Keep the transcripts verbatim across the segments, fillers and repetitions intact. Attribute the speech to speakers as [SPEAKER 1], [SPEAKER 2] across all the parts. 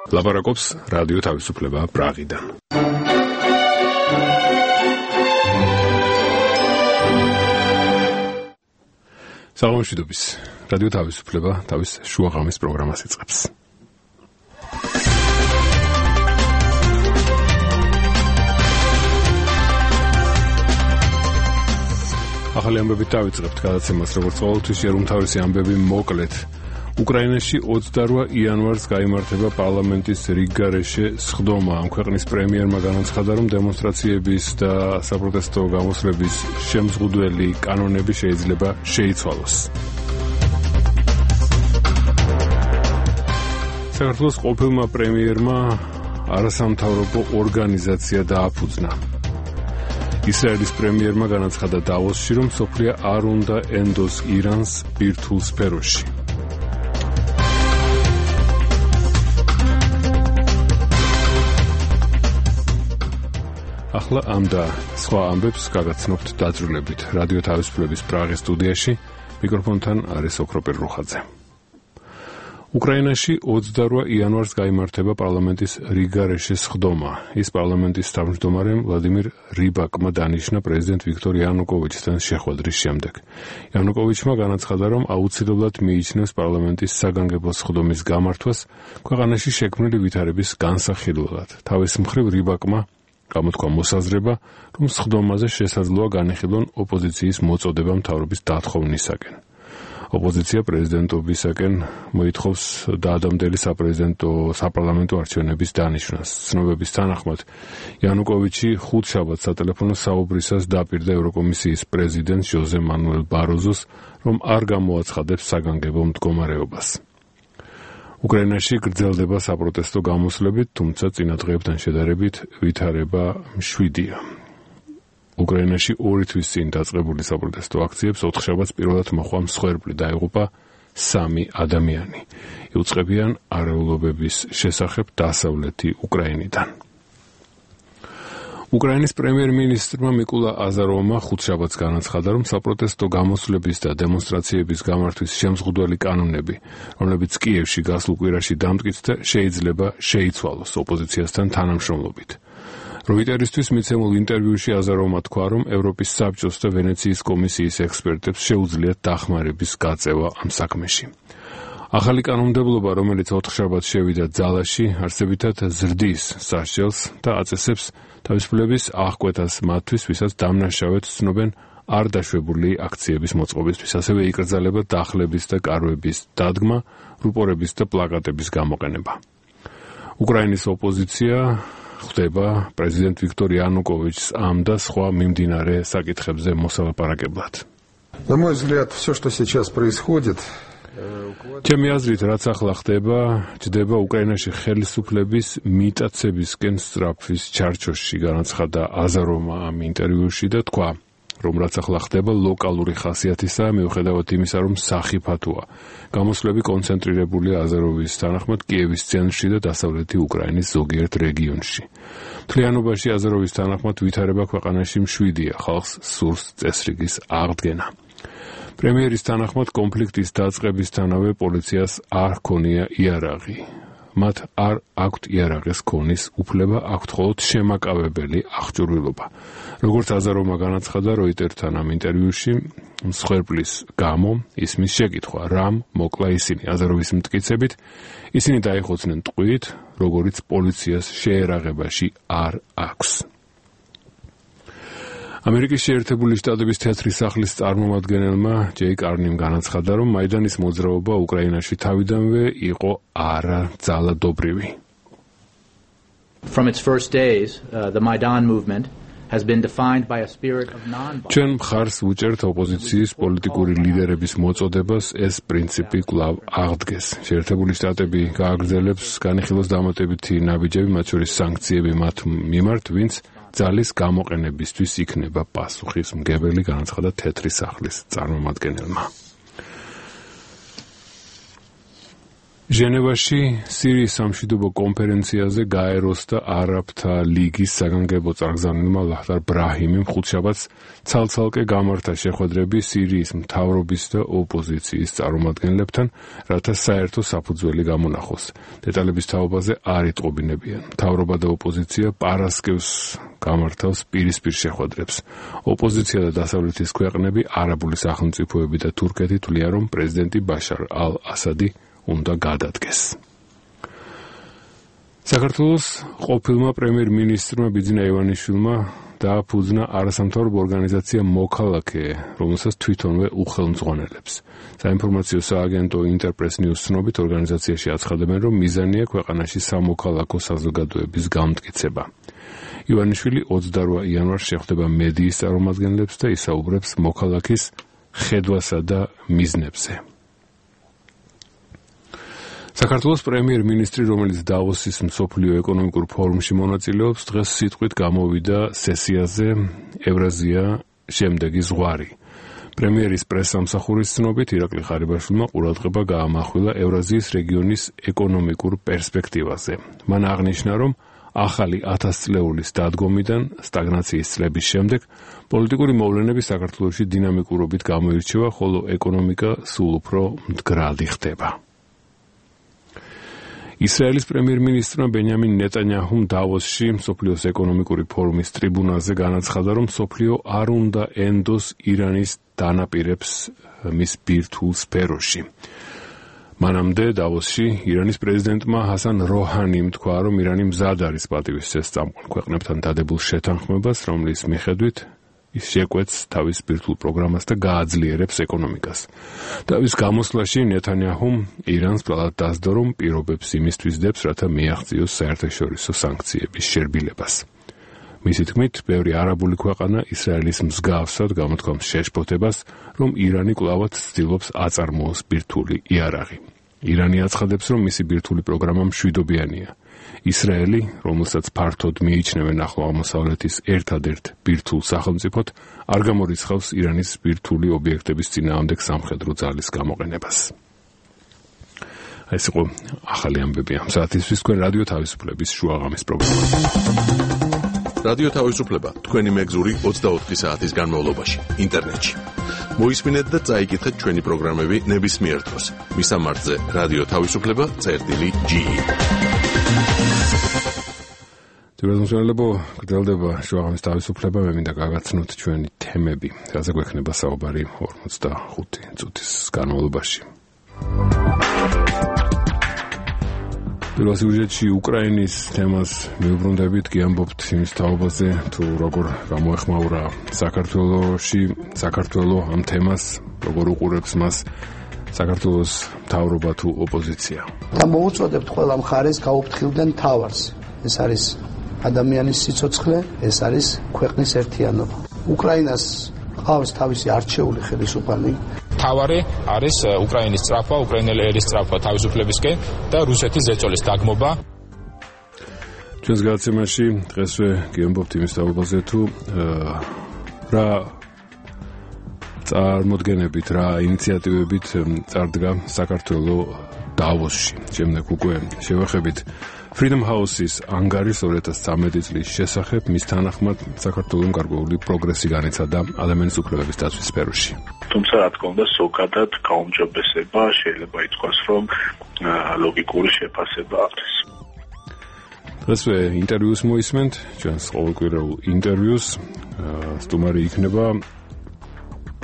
[SPEAKER 1] ლაპარაკობს რადიო თავისუფლება პრაღიდან. საღამოშვიდობის რადიო თავისუფლება თავის შუაღამის პროგრამას იწყებს. ახალი ამბებით დავიწყებთ გადაცემას, როგორც ყოველთვის შეერუმთავრისი ამბები მოკლედ. უკრაინაში ოცდარვა იანვარს გაიმართება პარლამენტის რიგგარეშე სხდომა. ამ ქვეყნის პრემიერმა განაცხადა, რომ დემონსტრაციების და საპროტესტო გამოსვლების შემზღუდველი კანონები შეიძლება შეიცვალოს. საქართველოს ყოფილმა პრემიერმა არასამთავრობო ორგანიზაცია დააფუძნა. ისრაელის პრემიერმა განაცხადა დავოსში, რომ სოფლია არ უნდა ენდოს ირანს ბირთვულ სფეროში. ახლა ამ და სხვა ამბებს გაგაცნობთ დაძრულებით. რადიო თავისუფლების პრაღის სტუდიაში მიკროფონთან არის ოქროპერ რუხაძე. უკრაინაში ოცდარვა იანვარს გაიმართება პარლამენტის რიგგარეშე სხდომა. ის პარლამენტის თავმჯდომარემ ვლადიმირ რიბაკმა დანიშნა პრეზიდენტ ვიქტორ იანუკოვიჩთან შეხვედრის შემდეგ. იანუკოვიჩმა განაცხადა, რომ აუცილებლად მიიჩნევს პარლამენტის საგანგებო სხდომის გამართვას ქვეყანაში შექმნილი ვითარების განსახილველად. თავის მხრივ რიბაკმა გამოთქვა მოსაზრება, რომ სხდომაზე შესაძლოა განეხილონ ოპოზიციის მოწოდება მთავრობის დათხოვნისაკენ. ოპოზიცია პრეზიდენტობისაკენ მოითხოვს დაადამდელი საპრეზიდენტო საპარლამენტო არჩევნების დანიშვნას. ცნობების თანახმად, იანუკოვიჩი ხუთშაბათს სატელეფონო საუბრისას დაპირდა ევროკომისიის პრეზიდენტს ჟოზე მანუელ ბაროზოს, რომ არ გამოაცხადებს საგანგებო მდგომარეობას. უკრაინაში გრძელდება საპროტესტო გამოსვლები, თუმცა წინა დღეებთან შედარებით ვითარება მშვიდია. უკრაინაში ორი თვის წინ დაწყებული საპროტესტო აქციებს ოთხშაბათს პირველად მოჰყვა მსხვერპლი, დაიღუპა სამი ადამიანი. იუწყებიან არეულობების შესახებ დასავლეთი უკრაინიდან. უკრაინის პრემიერ-მინისტრმა მიკულა აზაროვმა ხუთშაბათს განაცხადა, რომ საპროტესტო გამოსვლების და დემონსტრაციების გამართვის შემზღუდველი კანონები, რომლებიც კიევში გასულ კვირაში დამტკიცდა, შეიძლება შეიცვალოს ოპოზიციასთან თანამშრომლობით. როიტერისთვის მიცემულ ინტერვიუში აზაროვმა თქვა, რომ ევროპის საბჭოს და ვენეციის კომისიის ექსპერტებს შეუძლიათ დახმარების გაწევა ამ საქმეში. ახალი კანონმდებლობა, რომელიც ოთხშაბათს შევიდა ძალაში, არსებითად ზრდის სასჯელს და აწესებს თავისუფლების აღკვეთას მათთვის, ვისაც დამნაშავედ ცნობენ არ დაშვებული აქციების მოწყობისთვის. ასევე იკრძალება დახლების და კარვების დადგმა, რუპორების და პლაკატების გამოყენება. უკრაინის ოპოზიცია ხვდება პრეზიდენტ ვიქტორ იანუკოვიჩს ამ და სხვა მიმდინარე საკითხებზე მოსალაპარაკებლად.
[SPEAKER 2] На мой взгляд, все, что сейчас происходит,
[SPEAKER 1] ჩემი აზრით, რაც ახლა ხდება, ჯდება უკრაინაში ხელისუფლების მიტაცებისკენ სწრაფვის ჩარჩოში, განაცხადა აზაროვმა ამ ინტერვიუში და თქვა, რომ რაც ახლა ხდება ლოკალური ხასიათისაა, მიუხედავად იმისა, რომ სახიფათოა. გამოსვლები კონცენტრირებულია აზაროვის თანახმად კიევის ცენტრში და დასავლეთი უკრაინის ზოგიერთ რეგიონში. მთლიანობაში აზაროვის თანახმად ვითარება ქვეყანაში მშვიდია, ხალხს სურს წესრიგის აღდგენა. პრემიერის თანახმად კონფლიქტის დაწყებისთანავე პოლიციას არ ჰქონია იარაღი. მათ არ აქვთ იარაღის ქონის უფლება, აქვთ მხოლოდ შემაკავებელი აღჭურვილობა. როგორც აზაროვმა განაცხადა როიტერთან ამ ინტერვიუში, მსხვერპლის გამო ისმის შეკითხვა, რამ მოკლა ისინი. აზაროვის მტკიცებით, ისინი დაიხოცნენ ტყვით, როგორიც პოლიციას შეერაღებაში არ აქვს. ამერიკის შეერთებული შტატების თეთრი სახლის წარმომადგენელმა ჯეი კარნიმ განაცხადა, რომ მაიდანის მოძრაობა უკრაინაში თავიდანვე იყო არაძალადობრივი.
[SPEAKER 3] From its first days, uh, the Maidan movement has been defined by a spirit of non-violence.
[SPEAKER 1] ჩვენ მხარს ვუჭერთ ოპოზიციის პოლიტიკური ლიდერების მოწოდებას, ეს პრინციპი კვლავ აღდგეს. შეერთებული შტატები გააგრძელებს განიხილოს დამატებითი ნაბიჯები, მათ შორის სანქციები მათ მიმართ, ვინც ძალის გამოყენებისთვის იქნება პასუხისმგებელი, განაცხადა თეთრი სახლის წარმომადგენელმა. ჟენევაში სირიის სამშვიდობო კონფერენციაზე გაეროსდა არაბთა ლიგის საგანგებო წარგზავნილმა ლაჰდარ ბრაჰიმიმ ხუთშაბათს ცალ-ცალკე გამართა შეხვედრები სირიის მთავრობის და ოპოზიციის წარმომადგენლებთან, რათა საერთო საფუძველი გამონახოს. დეტალების თაობაზე არ იტყობინებიან. მთავრობა და ოპოზიცია პარასკევს გამართავს პირისპირ შეხვედრებს. ოპოზიცია და დასავლეთის ქვეყნები, არაბული სახელმწიფოები და თურქეთი თვლიან, რომ პრეზიდენტი ბაშარ ალ-ასადი უნდა გადადგეს. საქართველოს ყოფილმა პრემიერ-მინისტრმა ბიძინა ივანიშვილმა დააფუძნა არასამთავრობო ორგანიზაცია მოქალაქე, რომელსაც თვითონვე უხელმძღვანელებს. საინფორმაციო სააგენტო ინტერპრეს ნიუს ცნობით, ორგანიზაციაში აცხადებენ, რომ მიზანია ქვეყანაში სამოქალაქო საზოგადოების გამტკიცება. ივანიშვილი ოცდაორი იანვარს შეხვდება მედიის წარმომადგენლებს და ისაუბრებს მოქალაქის ხედვასა და მიზნებზე. საქართველოს პრემიერ-მინისტრი, რომელიც დავოსის მსოფლიო ეკონომიკურ ფორუმში მონაწილეობს, დღეს სიტყვით გამოვიდა სესიაზე ევრაზია შემდეგი ზღვარი. პრემიერის პრესსამსახურის ცნობით, ირაკლი ხარიბაშვილმა ყურადღება გაამახვილა ევრაზიის რეგიონის ეკონომიკურ პერსპექტივაზე. მან აღნიშნა, რომ ახალი ათასწლეულის დადგომიდან სტაგნაციის წლების შემდეგ პოლიტიკური მოვლენები საქართველოში დინამიკურობით გამოირჩევა, ხოლო ეკონომიკა სულ უფრო მდგრადი ხდება. ისრაელის პრემიერ-მინისტრმა ბენიამინ ნეტანიაჰუმ დავოსში მსოფლიოს ეკონომიკური ფორუმის ტრიბუნაზე განაცხადა, რომ მსოფლიო არ უნდა ენდოს ირანის დანაპირებს მის ბირთვულ სფეროში. მანამდე დავოსში ირანის პრეზიდენტმა ჰასან როჰანიმ თქვა, რომ ირანი მზად არის პატივისცეს წამყვან ქვეყნებთან დადებულ შეთანხმებას, რომლის მიხედვით ის შეკვეთს თავის ბირთვულ პროგრამას და გააძლიერებს ეკონომიკას. დავის გამოსვლაში ნეთანიაჰუმ ირანს ბრალად დასდო, რომ პირობებს იმისთვის დებს, რათა მიაღწიოს საერთაშორისო სანქციების შერბილებას. მისი თქმით, ბევრი არაბული ქვეყანა ისრაელის მსგავსად გამოთქვამს შეშფოთებას, რომ ირანი კვლავაც ცდილობს აწარმოოს ბირთვული იარაღი. ირანი აცხადებს, რომ მისი ბირთვული პროგრამა მშვიდობიანია. ისრაელი, რომელსაც ფართოდ მიიჩნევენ ახლო აღმოსავლეთის ერთადერთ ბირთვულ სახელმწიფოდ, არ გამორიცხავს ირანის ბირთვული ობიექტების წინააღმდეგ სამხედრო ძალის გამოყენებას. ეს იყო ახალი ამბები ამ საათისთვის თქვენ რადიო თავისუფლების შუაღამის პროგრამა.
[SPEAKER 4] რადიო თავისუფლება თქვენი მეგზური ოცდაოთხი საათის განმავლობაში ინტერნეტში. მოისმინეთ და წაიკითხეთ ჩვენი პროგრამები ნებისმიერ დროს. მისამართზე რადიო თავისუფლება წერტილი ჯი.
[SPEAKER 1] თუმცა გრძელდება შუაღამის თავისუფლება, მე მინდა გაგაცნოთ ჩვენი თემები, რაზე გვექნება საუბარი ორმოცდახუთი წუთის განმავლობაში. პირველ სიუჟეტში უკრაინის თემას მივუბრუნდებით, გიამბობთ იმის თაობაზე, თუ როგორ გამოეხმაურა საქართველოში, საქართველო ამ თემას, როგორ უყურებს მას საქართველოს მთავრობა თუ ოპოზიცია.
[SPEAKER 5] და მოუწოდებთ ყველა მხარეს გაუფრთხილდნენ თავარს. ეს არის ადამიანის სიცოცხლე, ეს არის ქვეყნის ერთიანობა. უკრაინას ყავს თავისი არჩეული ხელისუფალი.
[SPEAKER 6] თავარი არის უკრაინის სწრაფვა, უკრაინელი ერის სწრაფვა თავისუფლებისკენ და რუსეთის ზეწოლის დაგმობა.
[SPEAKER 1] ჩვენს გადაცემაში დღესვე გიამბობთ იმის თაობაზე, თუ რა წარმოდგენებით, რა ინიციატივებით წარდგა საქართველოს დავოსში. შემდეგ უკვე შევეხებით Freedom House-ის ანგარის ორი ათას ცხრამეტი წლის შესახებ, მის თანახმად საქართველოს გარკვეული პროგრესი განიცადა ადამიანის უფლებების დაცვის სფეროში.
[SPEAKER 7] თუმცა რა თქმა უნდა, ზოგადად გაუმჯობესება შეიძლება ითქვას, რომ ლოგიკური შეფასება აქვს.
[SPEAKER 1] დღესვე ინტერვიუს მოისმენთ, ჩვენს ყოველკვირეულ ინტერვიუს. სტუმარი იქნება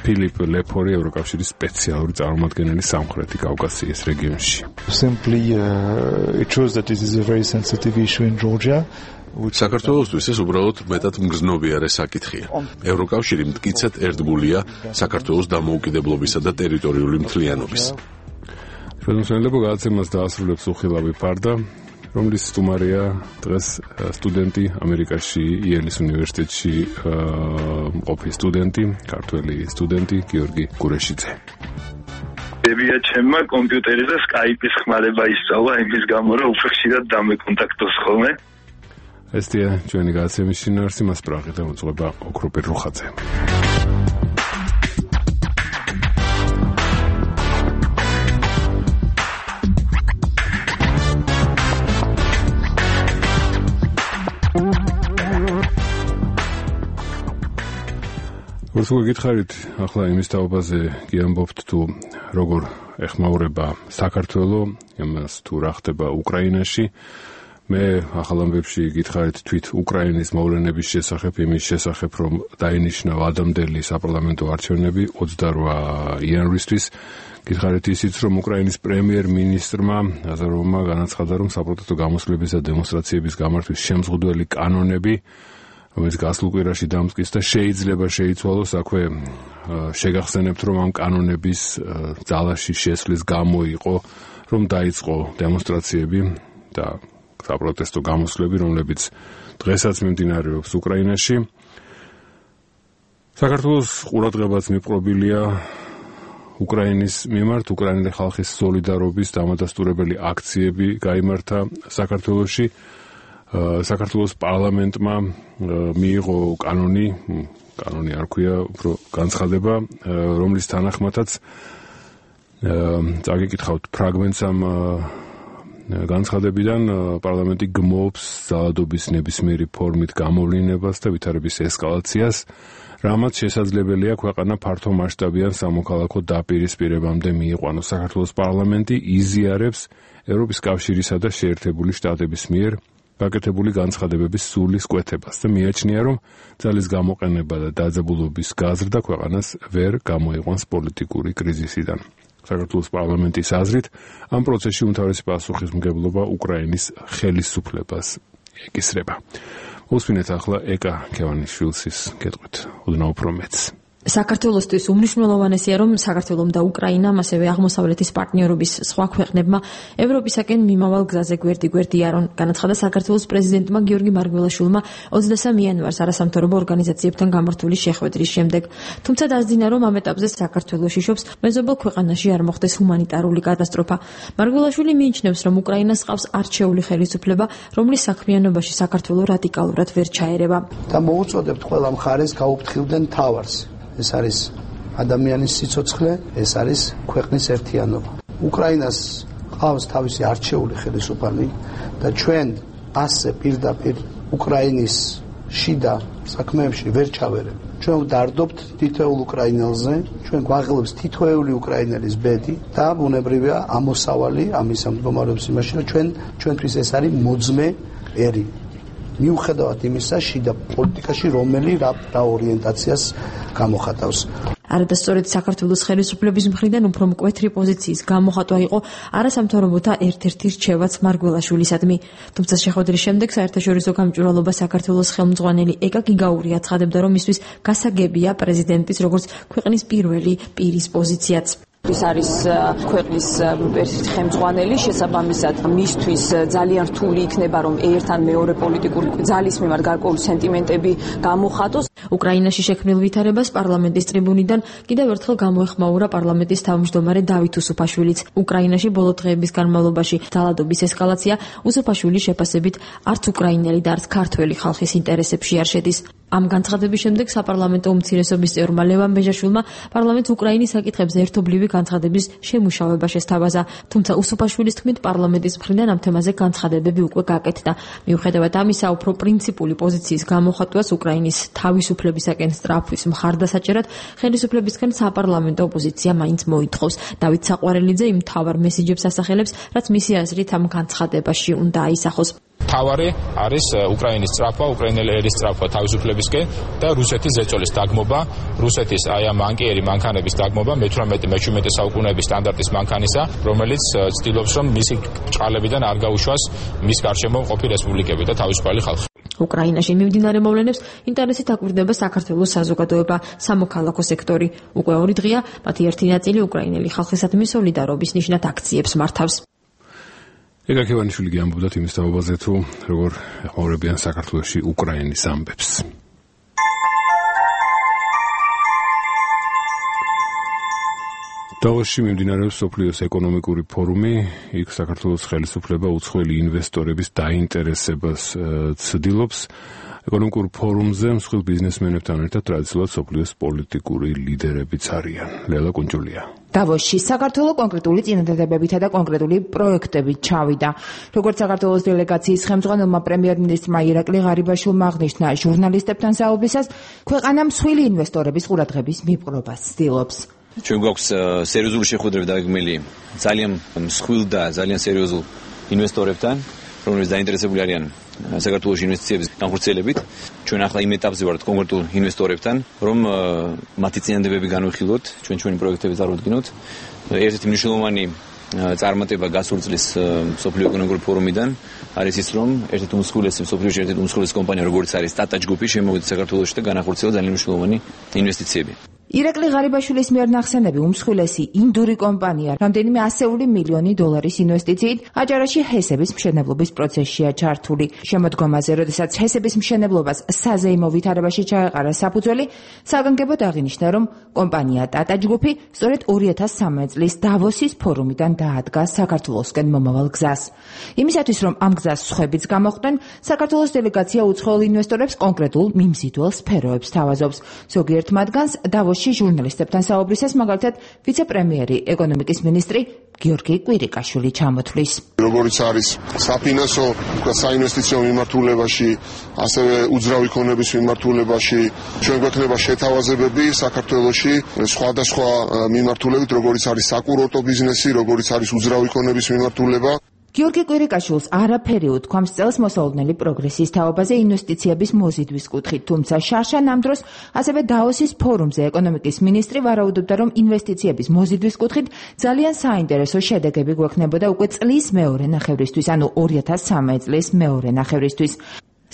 [SPEAKER 1] ფილიპ ლეფორი, ევროკავშირის სპეციალური წარმომადგენელი სამხრეთი კავკასიის რეგიონში.
[SPEAKER 8] Simply uh, it shows that this is a very sensitive issue in Georgia.
[SPEAKER 4] საქართველოსთვის ეს უბრალოდ მეტად მგრძნობიარე საკითხია. ევროკავშირი მტკიცედ ერთგულია საქართველოს დამოუკიდებლობისა და ტერიტორიული მთლიანობის.
[SPEAKER 1] ხელმძღვანელობა გადაცემას დაასრულებს უხილავი ფარდა, რომლის სტუმარია დღეს სტუდენტი ამერიკაში იელის უნივერსიტეტში მყოფი სტუდენტი, ქართველი სტუდენტი გიორგი გურეშიძე.
[SPEAKER 7] ებია ჩემმა კომპიუტერზე Skype-ის ხმარება ისწავლა, იმის გამო რომ უფრო ხშირად დამეკონტაქტოს ხოლმე.
[SPEAKER 1] ესეა ჩვენი გადაცემის შინაარსი, მას პრაღი და მოწვება ოქროპირ რუხაძე. რას გითხარით ახლა იმის თაობაზე გიამბობთ თუ როგორ ეხმაურება საქართველოს იმას თუ რა ხდება უკრაინაში. მე ახალ ამბებში გითხარით თვით უკრაინის მოვლენების შესახებ, იმის შესახებ, რომ დაინიშნა ვადამდელი საპარლამენტო არჩევნები ოცდაორ იანვრისთვის. გითხარით ისიც, რომ უკრაინის პრემიერ-მინისტრმა აზაროვმა განაცხადა, რომ საპროტესტო გამოსვლებისა და დემონსტრაციების გამართვის შემზღუდველი კანონები, რომელიც გასულ კვირაში დამტკიცდა და შეიძლება შეიცვალოს, აქვე შეგახსენებთ, რომ ამ კანონების ძალაში შესვლის გამო იყო, რომ დაიწყო დემონსტრაციები და საპროტესტო გამოსვლები, რომლებიც დღესაც მიმდინარეობს უკრაინაში. საქართველოს ყურადღებაც მიპყრობილია უკრაინის მიმართ, უკრაინელი ხალხის სოლიდარობის დამადასტურებელი აქციები გაიმართა საქართველოში. საქართველოს პარლამენტმა მიიღო კანონი, კანონი არ ქვია, უფრო განცხადება, რომლის თანახმადაც წაგიკითხავთ ფრაგმენტს ამ განცხადებიდან, პარლამენტი გმობს ძალადობის ნებისმიერი ფორმით გამოვლინებას და ვითარების ესკალაციას, რამაც შესაძლებელია ქვეყანა ფართო მასშტაბიან სამოქალაქო დაპირისპირებამდე მიიყვანოს. საქართველოს პარლამენტი იზიარებს ევროპის კავშირისა და შეერთებული შტატების მიერ გაკეთებული განცხადებების სულის კვეთებას და მიაჩნია, რომ ძალის გამოყენება და დაძაბულობის გაზრდა ქვეყანას ვერ გამოიყვანს პოლიტიკური კრიზისიდან. საქართველოს პარლამენტის აზრით, ამ პროცესში უმთავრესი პასუხისმგებლობა უკრაინის ხელისუფლებას ეკისრება. უსვინეთ ახლა ეკა ქევანიშვილის კითხვით, ოდნავ უფრო მეც.
[SPEAKER 9] საქართველოსთვის უმნიშვნელოვანესია, რომ საქართველომ და უკრაინამ, ასევე აღმოსავლეთის პარტნიორობის სხვა ქვეყნებმა ევროპისაკენ მიმავალ გზაზე გვერდი-გვერდი იარონ, განაცხადა საქართველოს პრეზიდენტმა გიორგი მარგველაშვილმა ოცდასამი იანვარს არასამთავრობო ორგანიზაციებთან გამართული შეხვედრის შემდეგ. თუმცა დაძინა, რომ ამ ეტაპზე საქართველოში შობს მეზობელ ქვეყანაში არ მოხდეს ჰუმანიტარული კატასტროფა. მარგველაშვილი მიიჩნევს, რომ უკრაინას ყავს არჩეული ხელისუფლება, რომლის საქმიანობაში საქართველო რადიკალურად ვერ ჩაერება.
[SPEAKER 5] და მოუწოდებთ ყველა მხარეს გაუფრთხილდნენ თავარს. ეს არის ადამიანის სიცოცხლე, ეს არის ქვეყნის ერთიანობა. უკრაინას ყავს თავისი არჩეული ხელისუფალი და ჩვენ ასე პირდაპირ უკრაინის შიდა საქმეებში ვერ ჩავერებ. ჩვენ დარდობთ თითოეულ უკრაინელზე, ჩვენ გვაღლებს თითოეული უკრაინელის ბედი და ბუნებრივია ამოსავალი ამის მდგომარეობის იმაში, რომ ჩვენ ჩვენთვის ეს არის მოძმე ერი. მიუხედავად იმისა, შიდა პოლიტიკაში რომელი რა ორიენტაციას გამოხატავს.
[SPEAKER 9] არადასწორად საქართველოს ხელისუფლების მხრიდან უფრო მკვეთრი პოზიციის გამოხატვა იყო არასამთავრობოთა ერთ-ერთი რჩევაც მარგველაშვილისადმი. თუმცა შეხვედრის შემდეგ საერთაშორისო გამჭვირვალობა საქართველოს ხელმძღვანელი ეკა გიგაური აცხადებდა, რომ მისთვის გასაგებია პრეზიდენტის როგორც ქვეყნის პირველი პირის პოზიციაც.
[SPEAKER 10] ის არის ქვეყნის ერთ-ერთი ხელმძღვანელი, შესაბამისად მისთვის ძალიან რთული იქნება, რომ ერთან მეორე პოლიტიკური ძალის მიმართ გარკვეული სენტიმენტები გამოხატოს.
[SPEAKER 9] უკრაინაში შექმნილ ვითარებას პარლამენტის ტრიბუნიდან კიდევ ერთხელ გამოეხმაურა პარლამენტის თავმჯდომარე დავით უსუფაშვილიც. უკრაინაში ბოლო დღეების განმავლობაში ძალადობის ესკალაცია უსუფაშვილის შეფასებით არც უკრაინელი და არც ქართველი ხალხის ინტერესებში არ შედის. ამ განცხადების შემდეგ საპარლამენტო უმცირესობის წევრმა ლევან ბეჟაშვილმა პარლამენტს უკრაინის საკითხებზე ერთობლივი განცხადების შემუშავება შესთავაზა. თუმცა უსუფაშვილის თქმით, პარლამენტის მხრიდან ამ თემაზე განცხადებები უკვე გაკეთდა. მიუხედავად ამისა, უფრო პრინციპული პოზიციის გამოხატვას უკრაინის თავისუფლებისაკენ სწრაფვის მხარდასაჭერად ხელისუფლებისგან საპარლამენტო ოპოზიცია მაინც მოითხოვს. დავით საყვარელიძე იმ მთავარ მესიჯებს ასახელებს, რაც მისი აზრით ამ განცხადებაში უნდა აისახოს.
[SPEAKER 6] თავარი არის უკრაინის სწრაფვა, უკრაინელი ერის სწრაფვა თავისუფლებისკენ და რუსეთის ზეწოლის დაგმობა, რუსეთის აი ამ ანკიერი მანქანების დაგმობა მეთვრამეტე მეჩვიდმეტე საუკუნეების სტანდარტის მანქანისა, რომელიც ცდილობს, რომ მისი ჭყალებიდან არ გაუშვას მის გარშემო მყოფი რესპუბლიკები და თავისუფალი ხალხი.
[SPEAKER 9] უკრაინაში მიმდინარე მოვლენებს ინტერესით აკვირდება საქართველოს საზოგადოება, სამოქალაქო სექტორი. უკვე ორი დღეა მათი ერთი ნაწილი უკრაინელი ხალხისადმი სოლიდარობის ნიშნად აქციებს მართავს.
[SPEAKER 1] ეკა ქევანიშვილი გიამბობდა იმის თაობაზე, თუ როგორ ეხმაურებიან საქართველოში უკრაინის ამბებს. დავოსში მიმდინარეობს მსოფლიოს ეკონომიკური ფორუმი. იქ საქართველოს ხელისუფლება უცხოელი ინვესტორების დაინტერესებას ცდილობს. ეკონომიკურ ფორუმზე მსხვილ ბიზნესმენებთან ერთად ტრადიციულად სოფლიოს პოლიტიკური ლიდერებიც არიან. ლელა კუნჯულია.
[SPEAKER 11] დავოსში საქართველოს კონკრეტული წინადადებებითა და კონკრეტული პროექტებით ჩავიდა. როგორც საქართველოს დელეგაციის ხელმძღვანელმა პრემიერ-მინისტრმა ირაკლი ღარიბაშვილმა აღნიშნა, ჟურნალისტებთან საუბრისას ქვეყანა მსხვილი ინვესტორების ყურადღების მიპყრობას ცდილობს.
[SPEAKER 12] ჩვენ გვაქვს სერიოზული შეხვედრები დაგეგმილი ძალიან მსხვილ და ძალიან სერიოზულ ინვესტორებთან, რომლებიც დაინტერესებული არიან საქართველოს ინვესტიციების განხორციელებით. ჩვენ ახლა იმ ეტაპზე ვართ კონკრეტულ ინვესტორებთან, რომ მათი წინადადებები განვიხილოთ, ჩვენ ჩვენი პროექტები წარუდგინოთ. ერთ-ერთი მნიშვნელოვანი წარმატება გასული წლის სოფლიო ეკონომიკური ფორუმიდან არის ის, რომ ერთ-ერთი უმსხვილესი სოფლიოში ერთ-ერთი უმსხვილესი კომპანია, როგორც არის Tata Group-ი, შემოვიდა საქართველოში და განახორციელა ძალიან მნიშვნელოვანი ინვესტიციები.
[SPEAKER 11] ირაკლი ღარიბაშვილის მიერ ნახსენები უმსხვილესი ინდური კომპანია რამდენიმე ასეული მილიონი დოლარის ინვესტიციით აჭარაში ჰესების მშენებლობის პროცესშია ჩართული. შემოდგომაზე, როდესაც ჰესების მშენებლობას საზეიმო ვითარებაში ჩაეყარა საფუძველი, საგანგებოდ აღინიშნა, რომ კომპანია Tata Group-ი სწორედ ორი ათას სამი წლის დავოსის ფორუმიდან დაადგა საქართველოსკენ მომავალ გზას. იმისათვის, რომ ამ გზას სხვებიც გამოხდნენ, საქართველოს დელეგაცია უცხოელ ინვესტორებს კონკრეტულ მიმზიდველ სფეროებს თავაზობს. ზოგიერთ მათგანს დავოსში ჟურნალისტებთან საუბრისას მაგალითად ვიცე-პრემიერი ეკონომიკის მინისტრი გიორგი კვირიკაშვილი ჩამოთვლის.
[SPEAKER 13] როგორც არის საფინანსო და საინვესტიციო მიმართულებაში, ასევე უძრავი ქონების მიმართულებაში ჩვენ გვექნება შეთავაზებები საქართველოში სხვადასხვა მიმართულებით, როგორც არის საკურორტო ბიზნესი, როგორც არის უძრავი ქონების მიმართულება.
[SPEAKER 11] გიორგი კვირიკაშვილს არაფერი უთქვამს წელს მოსალოდნელი პროგრესის თაობაზე ინვესტიციების მოზიდვის კუთხით, თუმცა შარშან ამ დროს ასევე დავოსის ფორუმზე ეკონომიკის მინისტრი ვარაუდობდა, რომ ინვესტიციების მოზიდვის კუთხით ძალიან საინტერესო შედეგები გვექნებოდა უკვე წლის მეორე ნახევრისთვის, ანუ ორი ათას სამი წლის მეორე ნახევრისთვის.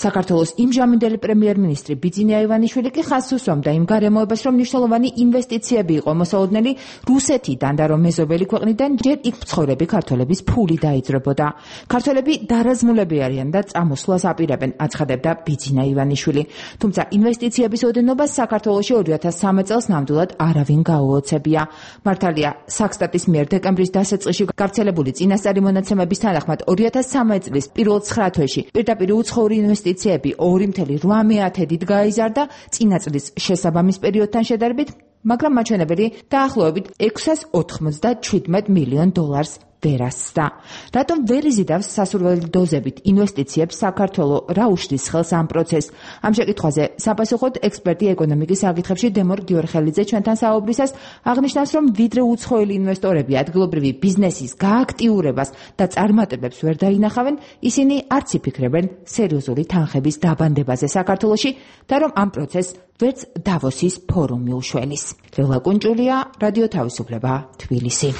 [SPEAKER 11] საქართველოს იმჟამინდელი პრემიერ-მინისტრი ბიძინა ივანიშვილი კი ხაზს უსვამდა იმ გარემოებას, რომ მნიშვნელოვანი ინვესტიციები იყო მოსალოდნელი რუსეთიდან და რომ მეზობელი ქვეყნიდან ჯერ იქ მცხოვრები ქართველების ფული დაიძრებოდა. ქართველები დარაზმულები არიან და წამოსვლას აპირებენ, აცხადებდა ბიძინა ივანიშვილი. თუმცა ინვესტიციების ოდენობას საქართველოში ორი ათას სამი წელს ნამდვილად არავინ გაუოცებია. მართალია, საქსტატის მიერ დეკემბრის დასაწყისში გავრცელებული წინასწარი მონაცემების თანახმად ორი ათას სამი წლის პირველ ცხრა თვეში პირდაპირ უცხოური ინვესტიციები ორი კoma ორი მილიარდით გაიზარდა წინა წლის შესაბამის პერიოდთან შედარებით, მაგრამ მაჩვენებელი დაახლოებით ექვსას ოცდაშვიდ მილიონ დოლარს ვერ ასწდა. რატომ ვერ იზიდავს სასურველი დოზებით ინვესტიციებს საქართველოს, რა უშლის ხელს ამ პროცესს? ამ შეკითხვაზე საპასუხოდ ექსპერტი ეკონომიკის საკითხებში დემორ გიორხელიძე ჩვენთან საუბრისას აღნიშნავს, რომ ვიდრე უცხოელი ინვესტორები ადგილობრივი ბიზნესის გააქტიურებას და წარმატებებს ვერ დაინახავენ, ისინი არც იფიქრებენ სერიოზული თანხების დაბანდებაზე საქართველოში და რომ ამ პროცესს ვერც დავოსის ფორუმი უშველის. ლელა კუნჯულია, რადიო თავისუფლება, თბილისი.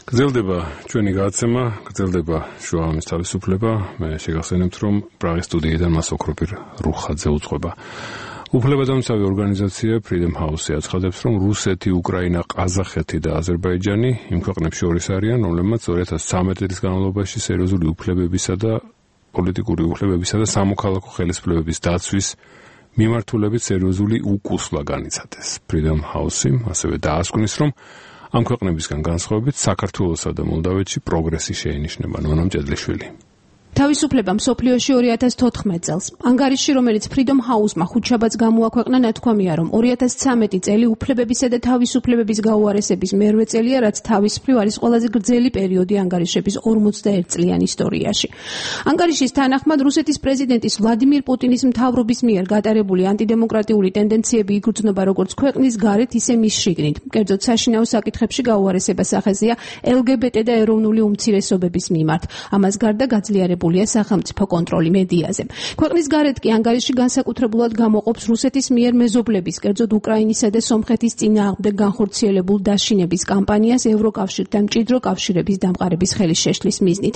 [SPEAKER 1] გრძელდება ჩვენი გადაცემა, გრძელდება შუამის თავისუფლება. მე შეგახსენებთ, რომ პრაღის სტუდიიდან მას ოქროპირ რუხაძე უძღვება. უფლებადამცავი ორგანიზაცია Freedom House აცხადებს, რომ რუსეთი, უკრაინა, ყაზახეთი და აზერბაიჯანი იმ ქვეყნებს შორის არიან, რომლებმაც ორი ათას ცხრამეტი წლის განმავლობაში სერიოზული უფლებებისა და პოლიტიკური უფლებებისა და სამოქალაქო ხელისუფლებების დაცვის მიმართულებით სერიოზული უკუსლა განიცადეს. Freedom House-ი ასევე დაასკვნის, რომ ამ ქვეყნებისგან განსხვავებით საქართველოსა და მოლდავეთში პროგრესი შეინიშნება. ნონა მჭედლიშვილი.
[SPEAKER 14] თავისუფლება მსოფლიოში ორი ათას თოთხმეტ წელს. ანგარიშში, რომელიც Freedom House-მა ხუთშაბათს გამოაქვეყნა, ნათქვამია, რომ ორი ათას ცხრამეტი წელი უფლებებისა და თავისუფლებების გაუარესების მერვე წელია, რაც თავის მხრივ არის ყველაზე გრძელი პერიოდი ანგარიშების ორმოცდაერთ წლიან ისტორიაში. ანგარიშის თანახმად, რუსეთის პრეზიდენტის ვლადიმირ პუტინის მთავრობის მიერ გატარებული ანტიდემოკრატიული ტენდენციები იგრძნობა როგორც ქვეყნის გარეთ, ისე მის შიგნით. კერძოდ, საშინაო საკითხებში გაუარესებას ახეზია ელ გი ბი ტი და ეროვნული უმცირესობების მიმართ. ამას გარდა გაძლიერებული სახელმწიფო კონტროლი მედიაზე. ქვეყნის გარეთ კი ანგარიში განსაკუთრებულად გამოყოფს რუსეთის მიერ მეზობლების, კერძოდ უკრაინისა და სომხეთის წინააღმდეგ განხორციელებულ დაშინების კამპანიას ევროკავშირთან მჭიდრო კავშირების დამყარების ხელის შეშლის მიზნით.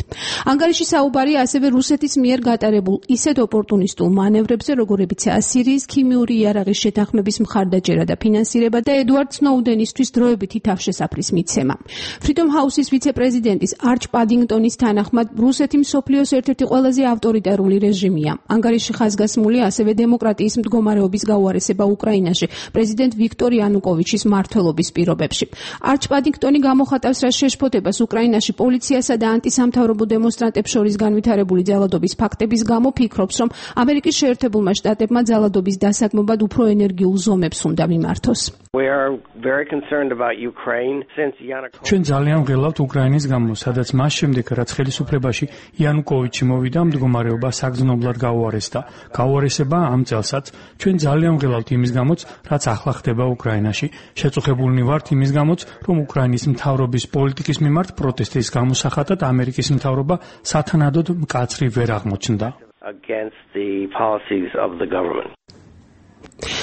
[SPEAKER 14] ანგარიში საუბარია ასევე რუსეთის მიერ გატარებულ ისეთ ოპორტუნისტულ მანევრებზე, როგორებიცაა სირიის ქიმიური იარაღის შეთანხმების მხარდაჭერა და ფინანსირება და ედვარდ სნოუდენისთვის დროებითი თავშესაფრის მიცემა. Freedom House-ის ვიცე-პრეზიდენტის არჩ პადინგტონის თანახმად, რუსეთი მსოფლიოს ერთ-ერთი ყველაზე ავტორიტარული რეჟიმია. ანგარიში ხაზგასმულია ასევე დემოკრატიის მდგომარეობის გაუარესება უკრაინაში პრეზიდენტ ვიქტორ იანუკოვიჩის მმართველობის პირობებში. არჩ პადინგტონი გამოხატავს რა შეშფოთებას უკრაინაში პოლიციასა და ანტისამთავრობო დემონსტრანტებს შორის განვითარებული ძალადობის ფაქტების გამო ფიქრობს, რომ ამერიკის შეერთებულმა შტატებმა ძალადობის დასაგმობად უფრო ენერგიულ ზომებს უნდა მიმართოს.
[SPEAKER 15] ჩვენ ძალიან ვღელავთ უკრაინის გამო, სადაც მას შემდეგ, რაც ხელისუფლებაში იანუკოვიჩი მოვიდა, მდგომარეობა საგრძნობლად გაუარესდა. გაუარესება ამ წელსაც. ჩვენ ძალიან ვღელავთ იმის გამოც, რაც ახლა ხდება უკრაინაში. შეწუხებულნი ვართ იმის გამოც, რომ უკრაინის მთავრობის პოლიტიკის მიმართ პროტესტის გამოსახატად ამერიკის მთავრობა სათანადოდ მკაცრი ვერ აღმოჩნდა.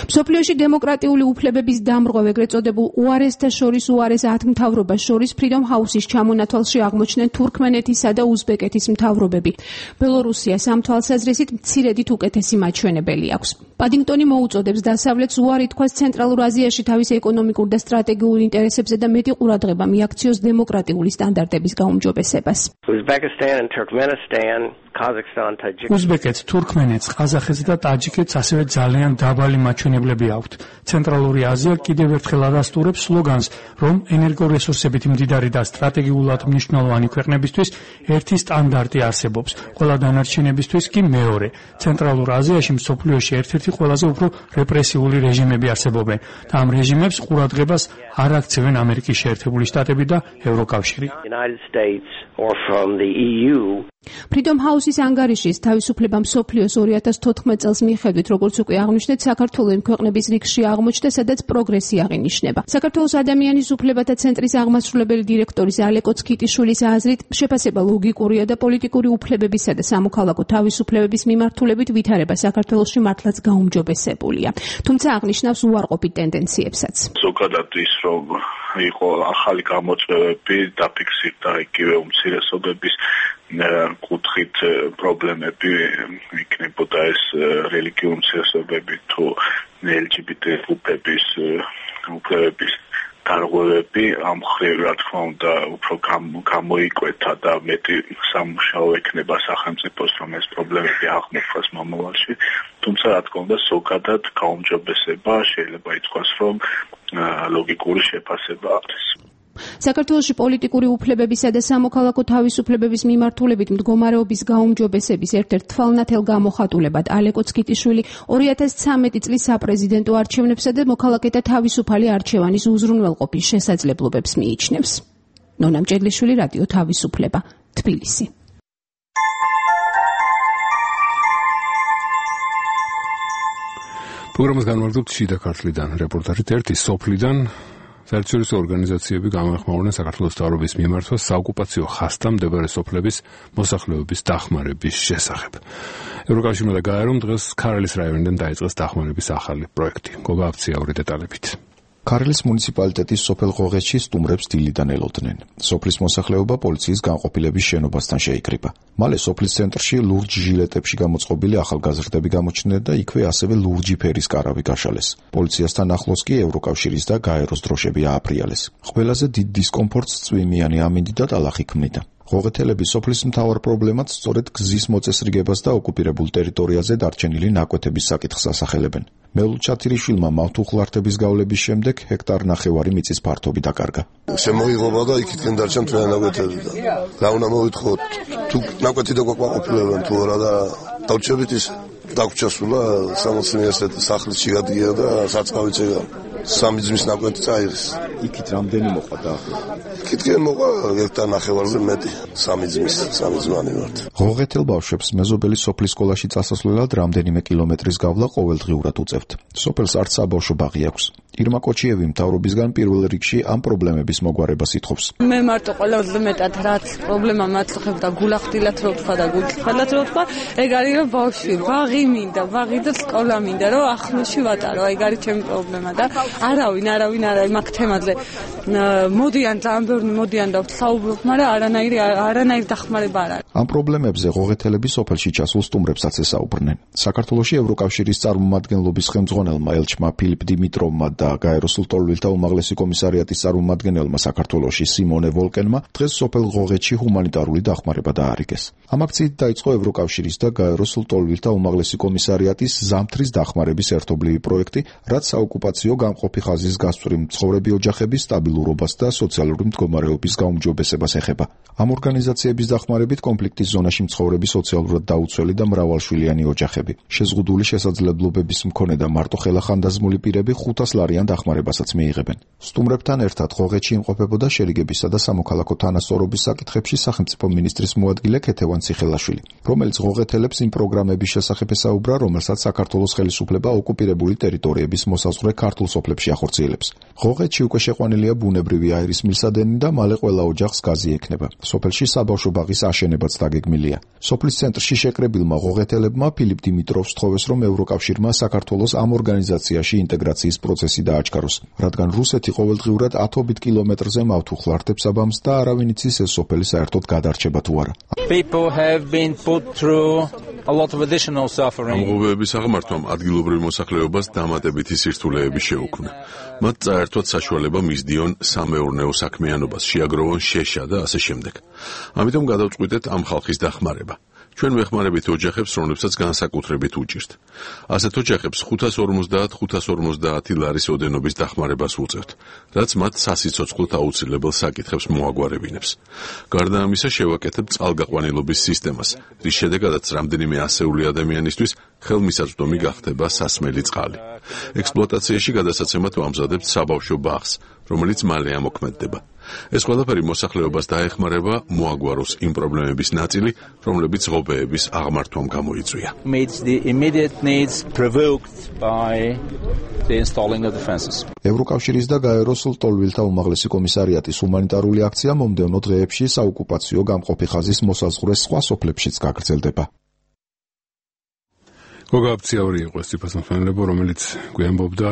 [SPEAKER 14] მსოფლიოში დემოკრატიული უფლებების დამრღვევ, ეგრეთ წოდებულ უარესთა შორის უარეს ათ მთავრობას შორის Freedom House-ის ჩამონათვალში აღმოჩნდნენ თურქმენეთისა და უზბეკეთის მთავრობები. ბელორუსიას ამ თვალსაზრისით მცირედით უკეთესი მაჩვენებელი აქვს. პადინგტონი მოუწოდებს დასავლეთს უარი თქვას ცენტრალურ აზიაში თავის ეკონომიკურ და სტრატეგიულ ინტერესებზე და მეტი ყურადღება მიაქციოს დემოკრატიული სტანდარტების გაუმჯობესებას.
[SPEAKER 15] უზბეკეთს, თურქმენეთს, ყაზახეთს და ტაჯიკეთს ასევე ძალიან დაბალი მაჩვენებლები აქვთ. ცენტრალური აზია კიდევ ერთხელ ადასტურებს სლოგანს, რომ ენერგორესურსებით მდიდარი და სტრატეგიულად მნიშვნელოვანი ქვეყნებისთვის ერთი სტანდარტი არსებობს, ყველა დანარჩენებისთვის კი მეორე. ცენტრალურ აზიაში მსოფლიოში ერთ-ერთი ყველაზე უფრო რეპრესიული რეჟიმები არსებობენ და ამ რეჟიმებს ყურადღებას არ აქცევენ ამერიკის შეერთებული შტატები და ევროკავშირი.
[SPEAKER 14] Freedom House-ის ანგარიშის თავისუფლება მსოფლიოს ორი ათას თოთხმეტ წელს მიხედვით, როგორც უკვე აღნიშნეთ, საქართველოს ქვეყნების რიგში აღმოჩნდა, სადაც პროგრესი აღინიშნება. საქართველოს ადამიანის უფლებათა ცენტრის აღმასრულებელი დირექტორის ალეკო ცქიტიშვილის აზრით, შეფასება ლოგიკურია და პოლიტიკური უფლებებისა და სამოქალაქო თავისუფლებების მიმართულებით ვითარება საქართველოში მართლაც გაუმჯობესებულია. თუმცა აღნიშნავს უარყოფით ტენდენციებსაც.
[SPEAKER 16] ზოგადად ის, რომ იყო ახალი გამოწვევები, დაფიქსირდა იგივე უმცირესობების კუთხით პრობლემები, იქნებოდა ეს რელიგიური უმცირესობები თუ ელ ჯი ბი ტი ჯგუფების უფლებების დარღვევები, ამ მხრივ რა თქმა უნდა უფრო გამოიკვეთა და მეტი სამუშაო ექნება სახელმწიფოს, რომ ეს პრობლემები აღმოჩნდეს მომავალში. თუმცა რა თქმა უნდა ზოგადად გაუმჯობესება შეიძლება ითქვას, რომ ლოგიკური შეფასება არის.
[SPEAKER 14] საქართველოში პოლიტიკური უფლებებისა და სამოქალაქო თავისუფლებების მიმართულებით მდგომარეობის გაუმჯობესების ერთ-ერთ თვალნათელ გამოხატულებად ალეკო ცქიტიშვილი ორი ათას ცხრამეტი წლის საპრეზიდენტო არჩევნებსა და მოქალაქეთა თავისუფალი არჩევანის უზრუნველყოფის შესაძლებლობებს მიიჩნევს. ნონა მჭედლიშვილი, რადიო თავისუფლება, თბილისი.
[SPEAKER 1] პროგრამას განმარტობთ შიდა ქართლიდან რეპორტაჟით ერთი სოფლიდან საერთაშორისო ორგანიზაციები გამოეხმაურნენ საქართველოს მთავრობის მიმართვას საოკუპაციო ხასთან მდებარე სოფლების მოსახლეობის დახმარების შესახებ. ევროკავშირმა და გაერომ დღეს ქარელის რაიონიდან დაიწყეს დახმარების ახალი პროექტი. გოგა აფციაური დეტალებით.
[SPEAKER 17] ქარელის მუნიციპალიტეტის სოფელ ღოღეთში სტუმრებს დილიდან ელოდნენ. სოფლის მოსახლეობა პოლიციის განყოფილების შენობასთან შეიკრიბა. მალე სოფლის ცენტრში ლურჯ ჟილეტებში გამოწყობილი ახალგაზრდები გამოჩნდნენ და იქვე ასევე ლურჯი ფერის კარავი გაშალეს. პოლიციასთან ახლოს კი ევროკავშირის და გაეროს დროშები ააფრიალეს. ყველაზე დიდ დისკომფორტს წვიმიანი ამინდი და ტალახი ქმნიდა. ღოღეთელები სოფლის მთავარ პრობლემად სწორედ გზის მოწესრიგებას და ოკუპირებულ ტერიტორიაზე დარჩენილი ნაკვეთების საკითხს ასახელებენ. მელულ ჩათირიშვილმა მავთუხლართების გავლების შემდეგ ჰექტარ ნახევარი მიწის ფართობი დაკარგა.
[SPEAKER 13] შემოიღობა და იქითკენ დარჩა მთლიანი ნაკვეთები და რა უნდა მოვითხოთ, თუ ნაკვეთი დაგვაყოფილებენ თუ არა და დავჭებით ის დაგვრჩასულა სამოცნიასეთ სახლის შეგადგია და საწყავი წეგა. სამი ძმის ნაკვეთი წაიღეს.
[SPEAKER 17] იქით რამდენი მოყვა დაახლოებით?
[SPEAKER 13] იქითკენ მოყვა ჰექტარ ნახევარზე მეტი. სამი ძმის, სამი ძმანი ვართ.
[SPEAKER 17] ღოღეთელ ბავშვებს მეზობელი სოფლის სკოლაში წასასვლელად რამდენიმე კილომეტრის გავლა ყოველდღიურად უწევთ. სოფელს არც საბავშვო ბაღი აქვს. ირმა კოჩიევი მთავრობისგან პირველ რიგში ამ პრობლემების მოგვარებას ითხოვს.
[SPEAKER 18] მე მარტო ყველაზე მეტად რაც პრობლემა მაწუხებდა გულახდილად რო თქვა და გულწრფელად რო თქვა, ეგ არის რომ ბავშვი ბაღი მინდა, ბაღი და სკოლა მინდა, რომ ახლოში ვატარო, ეგ არის ჩემი პრობლემა და არავინ, არავინ არა მაგ თემაზე მოდიან ძალიან ბევრი მოდიან და საუბრობ, მაგრამ არანაირი არანაირი დახმარება არ არის.
[SPEAKER 17] ამ პრობლემებზე ღოღეთელები სოფელში ჩასულ სტუმრებსაც ესაუბრნენ. საქართველოში ევროკავშირის წარმომადგენლობის ხელმძღვანელმა ელჩმა ფილიპ დიმიტროვმა და გაეროსულ ტოლვილთა უმაღლესი კომისარიატის წარმომადგენელმა საქართველოში სიმონე ვოლკენმა დღეს სოფელ ღოღეთში ჰუმანიტარული დახმარება დაარიგეს. ამ აქციით დაიწყო ევროკავშირის და გაეროსულ ტოლვილთა უმაღლესი კომისარიატის ზამთრის დახმარების ერთობლივი პროექტი, რაც საოკუპაციო გამყოფი ხაზის გასწვრივ მცხოვრები ოჯახების სტაბილურობას და სოციალური მდგომარეობის გაუმჯობესებას ეხება. ამ ორგანიზაციების დახმარებით კონფლიქტის ზონაში მცხოვრები სოციალურად დაუცველი და მრავალშვილიანი ოჯახები, შეზღუდული შესაძლებლობების მქონე და მარტო ხელახანდაზმული პირები ხუთას ლარიან დახმარებასაც მიიღებენ. სტუმრებთან ერთად ღოღეთში იმყოფებოდა შერიგებისა და სამოქალაქო თანასწორობის საკითხებში სახელმწიფო მინისტრის მოადგილე ქეთევან ციხელაშვილი, რომელიც ღოღეთელებს იმ პროგრამების შესახებ ესაუბრა, რომელსაც საქართველოს ხელისუფლება ოკუპირებული ტერიტორიების მოსაზღვრე ქართულ სოფლებში ახორციელებს. ღოღეთში უკვე შეყვანილია ბუნებრივი აირის მილსადენი და მალე ყველა ოჯახს გაზი ექნება. სოფელში საბავშვო ბაღის აშენებაც დაგეგმილია. სოფლის ცენტრში შეკრებილმა ღოღეთელებმა ფილიპ დიმიტროვს თხოვეს, რომ ევროკავშირმა საქართველოს ამ ორგანიზაციაში ინტეგრაციის პროცესი დააჩქაროს, რადგან რუსეთი ყოველდღიურად ათობით კილომეტრზე მავთუხლარდებს აბამს და არავინ იცის ეს სოფელი საერთოდ გადარჩება თუ არა.
[SPEAKER 4] ამ ღობეების აღმართვამ ადგილობრივ მოსახლეობას დამატებითი სირთულეები შეუქმნა. მათ წაერთვათ საშუალება მისდიონ სამეურნეო საქმიანობას, შეაგროვონ შეშა და ასე შემდეგ. ამიტომ გადავწყვიტეთ ამ ხალხის დახმარება. ჩვენ ვეხმარებით ოჯახებს, რომლებსაც განსაკუთრებით უჭირთ. ასეთ ოჯახებს ხუთას ორმოცდაათ ხუთას ორმოცდაათი ლარის ოდენობის დახმარებას უწევთ, რაც მათ სასიცოცხლოდ აუცილებელ საკითხებს მოაგვარებინებს. გარდა ამისა, შევაკეთებ წყალგაყვანილობის სისტემას, რის შედეგადაც რამდენიმე ასეული ადამიანისთვის ხელმისაწვდომი გახდება სასმელი წყალი. ექსპლუატაციაში გადასაცემად ვამზადებთ საბავშვო ბაღს, რომელიც მალე ამოქმედდება. ეს ყველაფერი მოსახლეობას დაეხმარება მოაგვაროს იმ პრობლემების ნაწილი, რომლებიც ღობეების აღმართვამ გამოიწვია.
[SPEAKER 17] ევროკავშირის და გაეროსულ ტოლვილთა უმაღლესი კომისარიატის ჰუმანიტარული აქცია მომდევნო დღეებში საოკუპაციო გამყოფი ხაზის მოსაზღვრე სხვა სოფლებშიც გაგრძელდება.
[SPEAKER 1] გოგაბციაური იყო ეს ციფროსმენელებო, რომელიც გვიამბობდა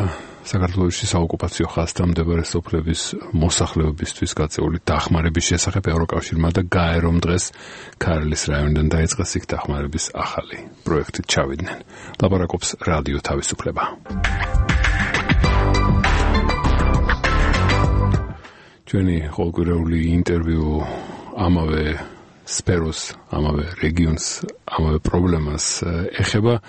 [SPEAKER 1] საქართველოში საოკუპაციო ხაზთან მდებარე სოფლების მოსახლეობისთვის გაწეული დახმარების შესახებ. ევროკავშირმა და გაერომ დღეს ქართლის რაიონიდან დაიწყეს იქ დახმარების ახალი პროექტით ჩავიდნენ. ლაპარაკობს რადიო თავისუფლება. ჩვენი ყოველკვირეული ინტერვიუ ამავე სფეროს, ამავე რეგიონს, ამავე პრობლემას ეხება.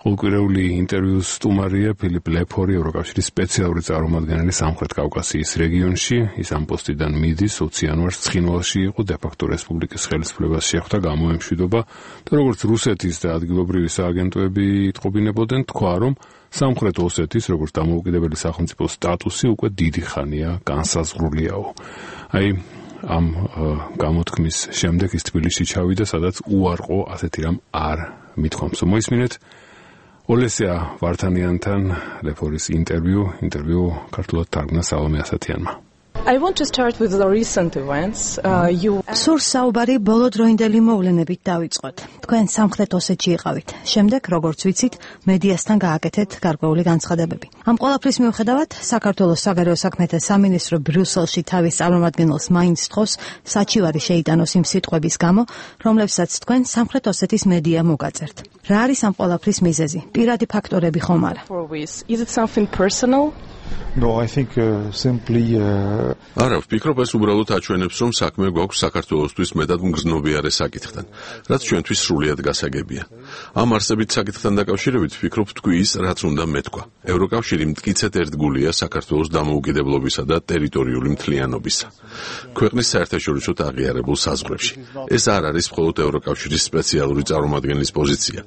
[SPEAKER 1] ყოველკვირეული ინტერვიუს სტუმარია ფილიპ ლეფორი, ევროკავშირის სპეციალური წარმომადგენელი სამხრეთ კავკასიის რეგიონში. ის ამ პოსტიდან მიდის ოცი იანვარს ცხინვალში იყო, დე-ფაქტო რესპუბლიკის ხელისუფლებას შეხვდა გამოემშვიდობა და როგორც რუსეთის და ადგილობრივი სააგენტოები იტყობინებოდნენ, თქვა, რომ სამხრეთ ოსეთის როგორც დამოუკიდებელი სახელმწიფოს სტატუსი უკვე დიდი ხანია განსაზღვრულიაო. აი ამ გამოთქმის შემდეგ ის თბილისში ჩავიდა, სადაც უარყო ასეთი რამ არ მithქვამს. მოისმინეთ ოლესია ვართანიანთან ლეფორის ინტერვიუ, ინტერვიუ ქართულად თარგმნა სალომე ასათიანმა.
[SPEAKER 19] I want to start with the recent events. Uh, you
[SPEAKER 20] Სურს საუბარი ბოლო დროინდელი მოვლენებით დავიწყოთ. თქვენ სამხრეთ ოსეთში იყავით. შემდეგ, როგორც ვიცით, მედიასთან გააკეთეთ გარკვეული განცხადებები. ამ ყველაფრის მიუხედავად, საქართველოს საგარეო საქმეთა სამინისტრო ბრიუსელში თავის წარმომადგენელს მაინც თხოვს საჩივარი შეიტანოს იმ სიტყვების გამო, რომლებსაც თქვენ სამხრეთ ოსეთის მედია მოგაწერთ. რა არის ამ ყველაფრის მიზეზი? პირადი ფაქტორები ხომ არა?
[SPEAKER 19] Is it something personal?
[SPEAKER 8] No, I think uh, simply uh...
[SPEAKER 4] არა, ვფიქრობ ეს უბრალოდ აჩვენებს, რომ საქმე გვაქვს საქართველოსთვის მეტად მგრძნობიარე საკითხთან, რაც ჩვენთვის სრულიად გასაგებია. ამ არსებით საკითხთან დაკავშირებით ვფიქრობ თქვი ის, რაც უნდა მეთქვა. ევროკავშირი მტკიცედ ერთგულია საქართველოს დამოუკიდებლობისა და ტერიტორიული მთლიანობისა. ქვეყნის საერთაშორისო აღიარებულ საზღვრებში. ეს არ არის მხოლოდ ევროკავშირის სპეციალური წარმომადგენლის პოზიცია,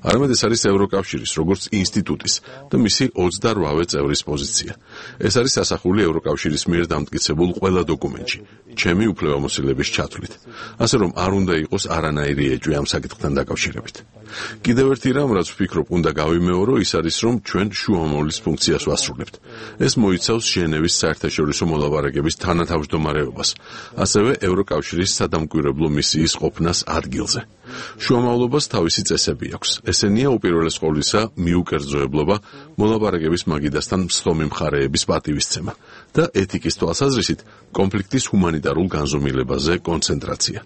[SPEAKER 4] არამედ ეს არის ევროკავშირის როგორც ინსტიტუტის და მისი ოცდაოთხ წევრის პოზიცია. ეს არის ასახული ევროკავშირის მიერ დამტკიცებულ ყველა დოკუმენტში, ჩემი უფლებამოსილების ჩათვლით. ასე რომ არ უნდა იყოს არანაირი ეჭვი ამ საკითხთან დაკავშირებით. კიდევ ერთი რამ, რაც ვფიქრობ, უნდა გავიმეორო, ის არის, რომ ჩვენ შუამავლის ფუნქციას ვასრულებთ. ეს მოიცავს ჟენევის საერთაშორისო მოლაპარაკების თანათავმჯდომარეობას, ასევე ევროკავშირის სადამკვირვებლო მისიის ყოფნას ადგილზე. შუამავლობას თავისი წესები აქვს. ესენია უპირველეს ყოვლისა მიუკერძოებლობა, მოლაპარაკების მაგიდასთან მსხლომი მხარეების პატივისცემა და ეთიკის თვალსაზრისით კონფლიქტის ჰუმანიტარულ განზომილებაზე კონცენტრაცია.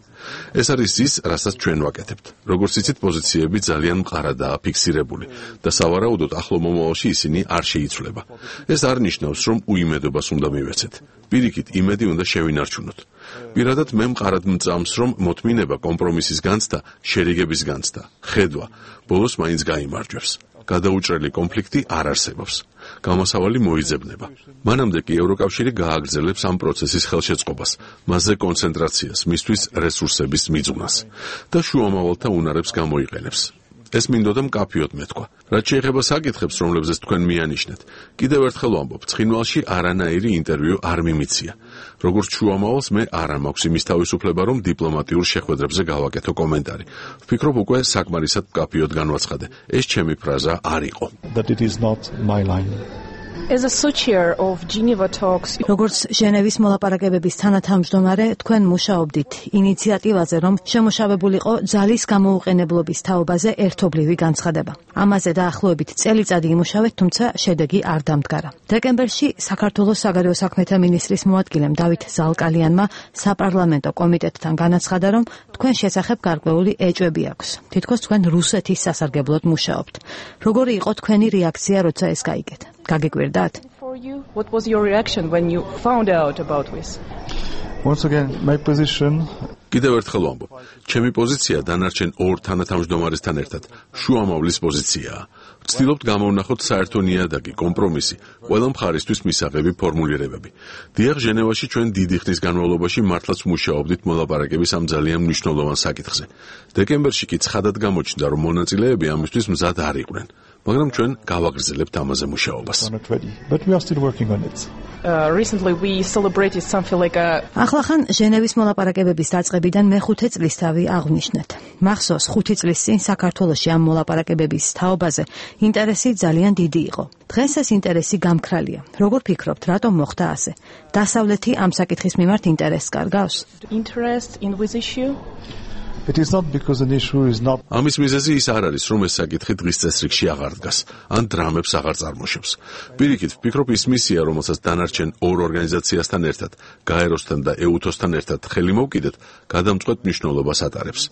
[SPEAKER 4] ეს არის ის, რასაც ჩვენ ვაკეთებთ. როგორც იცით, პოზიციები ძალიან მყარადაა ფიქსირებული და სავარაუდოდ ახლო მომავალში ისინი არ შეიცვლება. ეს არ ნიშნავს, რომ უიმედობას უნდა მივეცეთ. პირიქით, იმედი უნდა შევინარჩუნოთ. პირადად მე მყარად მწამს, რომ მოთმინება, კომპრომისის განცდა, შერიგების განცდა, ხედვა ბოლოს მაინც გაიმარჯვებს. გადაუჭრელი კონფლიქტი არ არსებობს. გამოსავალი მოიძებნება. მანამდე კი ევროკავშირი გააგრძელებს ამ პროცესის ხელშეწყობას, მასზე კონცენტრაციას, მისთვის რესურსების მიძღვნას და შუამავალთა უნარებს გამოიყენებს. ეს მინდოდა მკაფიოდ მეთქვა. რაც შეეხება საკითხებს, რომლებზეც თქვენ მიანიშნეთ, კიდევ ერთხელ ვამბობ, ცხინვალში არანაირი ინტერვიუ არ მიმიცია. როგორც შუამავალს მე არ მაქვს იმის თავისუფლება, რომ დიპლომატიურ შეხვედრებზე გავაკეთო კომენტარი. ვფიქრობ, უკვე საკმარისად მკაფიოდ განვაცხადე. ეს ჩემი ფრაზა არ იყო.
[SPEAKER 8] That it is not my line.
[SPEAKER 19] As a co-chair of Geneva talks,
[SPEAKER 20] როგორც ჟენევის მოლაპარაკებების თანათავმჯდომარე, თქვენ მუშაობდით ინიციატივაზე, რომ შემოშავებულიყო ძალის გამოუყენებლობის თაობაზე ერთობლივი განცხადება. ამაზე დაახლოებით წელიწადი იმუშავეთ, თუმცა შედეგი არ დამდგარა. დეკემბერში საქართველოს საგარეო საქმეთა მინისტრის მოადგილემ დავით ზალკალიანმა საპარლამენტო კომიტეტთან განაცხადა, რომ თქვენ შესახებ გარკვეული ეჭვები აქვს. თითქოს თქვენ რუსეთის სასარგებლოდ მუშაობთ. როგორი იყო თქვენი რეაქცია, როცა ეს გაიგეთ? გაგიკვირდათ?
[SPEAKER 19] what was your reaction when you found out about this?
[SPEAKER 8] Once again, my position
[SPEAKER 4] კიდევ ერთხელ ვამბობ, ჩემი პოზიცია დანარჩენ ორ თანათავმჯდომარესთან ერთად შუამავლის პოზიციაა. ვცდილობთ გამოვნახოთ საერთო ნიადაგი, კომპრომისი, ყველა მხარისთვის მისაღები ფორმულირებები. დიახ, ჟენევაში ჩვენ დიდი ხნის განმავლობაში მართლაც მუშაობდით მოლაპარაკების ამ ძალიან მნიშვნელოვან საკითხზე. დეკემბერში კი ცხადად გამოჩნდა, რომ მონაწილეები ამისთვის მზად არ იყვნენ. მაგრამ ჩვენ გავაგრძელებთ ამაზე მუშაობას.
[SPEAKER 8] But we are still working on it.
[SPEAKER 19] Uh, recently we celebrated something like a
[SPEAKER 20] ახლახან ჟენევის მოლაპარაკებების დაწყებიდან მეხუთე წლისთავი აღვნიშნეთ. მახსოვს, ხუთი წლის წინ საქართველოში ამ მოლაპარაკებების თაობაზე ინტერესი ძალიან დიდი იყო. დღეს ეს ინტერესი გამქრალია. როგორ ფიქრობთ, რატომ მოხდა ასე? დასავლეთი ამ საკითხის მიმართ ინტერესს კარგავს?
[SPEAKER 19] interest in this issue?
[SPEAKER 8] It is not because an issue is not
[SPEAKER 4] ამის მიზეზი ის არ არის, რომ ეს საკითხი დღის წესრიგში აღარ დგას, ან დრამებს აღარ წარმოშობს. პირიქით, ვფიქრობ, ის მისია, რომელსაც დანარჩენ ორ ორგანიზაციასთან ერთად, გაეროსთან და ეუთოსთან ერთად ხელი მოვკიდეთ, გადამწყვეტ მნიშვნელობას ატარებს.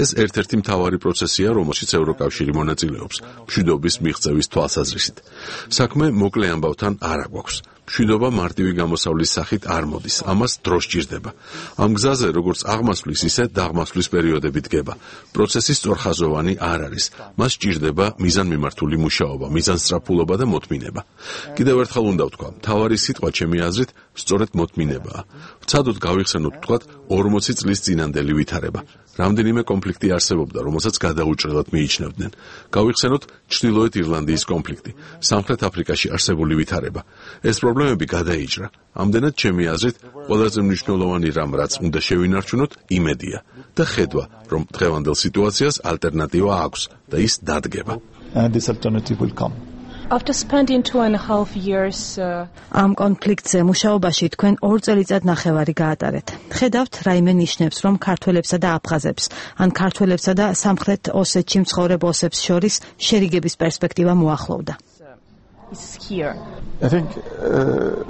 [SPEAKER 4] ეს ერთ-ერთი მთავარი პროცესია, რომელშიც ევროკავშირი მონაწილეობს, მშვიდობის მიღწევის თვალსაზრისით. საქმე მოკლე ამბავთან არ აგვაქვს. მშვიდობა მარტივი გამოსავლის სახით არ მოდის, ამას დრო სჭირდება. ამ გზაზე, როგორც აღმასვლის, ისე დაღმასვლის პერიოდები დგება. პროცესი სწორხაზოვანი არ არის. მას სჭირდება მიზანმიმართული მუშაობა, მიზანსწრაფულობა და მოთმინება. კიდევ ერთხელ უნდა ვთქვა, მთავარი სიტყვა ჩემი აზრით, სწორედ მოთმინებაა. ვცადოთ გავიხსენოთ ვთქვათ ორმოცი წლის წინანდელი ვითარება. რამდენიმე კონფლიქტი არსებობდა, რომელსაც გადაუჭრელად მიიჩნევდნენ. გავიხსენოთ ჩრდილოეთ ირლანდიის კონფლიქტი, სამხრეთ აფრიკაში არსებული ვითარება. ეს პრობლემები გადაიჭრა. ამდენად ჩემი აზრით, ყველაზე მნიშვნელოვანი რამ, რაც უნდა შევინარჩუნოთ, იმედია და ხედვა, რომ დღევანდელ სიტუაციას ალტერნატივა აქვს და ის დადგება.
[SPEAKER 8] And this alternative will come.
[SPEAKER 19] After spending two and a half years uh...
[SPEAKER 20] ამ კონფლიქტზე მუშაობაში თქვენ ორ წელიწად ნახევარი გაატარეთ. ხედავთ, რაიმე ნიშნებს, რომ ქართველებსა და აფხაზებს, ან ქართველებსა და სამხრეთ ოსეთში მცხოვრებ ოსებს შორის შერიგების პერსპექტივა მოახლოვდა.
[SPEAKER 8] I think uh,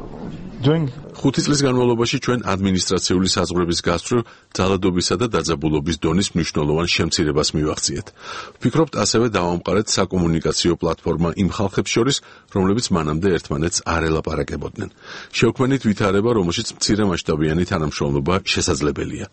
[SPEAKER 8] during
[SPEAKER 4] ხუთი წლის განმავლობაში ჩვენ ადმინისტრაციული საზღვრების გასწვრივ ძალადობისა და დაძაბულობის დონის მნიშვნელოვან შემცირებას მივახციეთ. ვფიქრობთ, ასევე დავამყარეთ საკომუნიკაციო პლატფორმა იმ ხალხებს შორის, რომლებიც მანამდე ერთმანეთს არ ელაპარაკებოდნენ. შევქმნით ვითარება, რომელშიც მცირემასშტაბიანი თანამშრომლობა შესაძლებელია.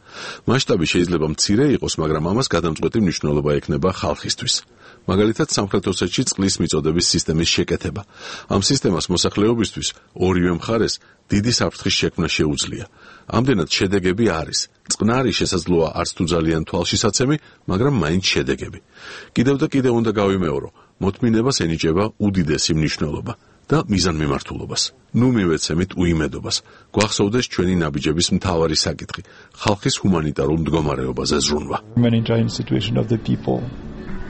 [SPEAKER 4] მასშტაბი შეიძლება მცირე იყოს, მაგრამ ამას გადამწყვეტი მნიშვნელობა ექნება ხალხისთვის. მაგალითად, სამხრეთ ოსეთში წყლის მიწოდების სისტემის შეკეთება. ამ სისტემას მოსახლეობისთვის ორივე მხარეს დიდი საფრთხის შექმნა შეუძლია. ამდენად შედეგები არის. წყნარი შესაძლოა არც თუ ძალიან თვალშისაცემი, მაგრამ მაინც შედეგები. კიდევ და კიდევ უნდა გავიმეორო, მოთმინებას ენიჭება უდიდესი მნიშვნელობა და მიზანმიმართულობას. ნუ მივეცემით უიმედობას. გვახსოვდეს ჩვენი ნაბიჯების მთავარი საკითხი, ხალხის ჰუმანიტარულ მდგომარეობაზე ზრუნვა.
[SPEAKER 8] humanitarian situation of the people.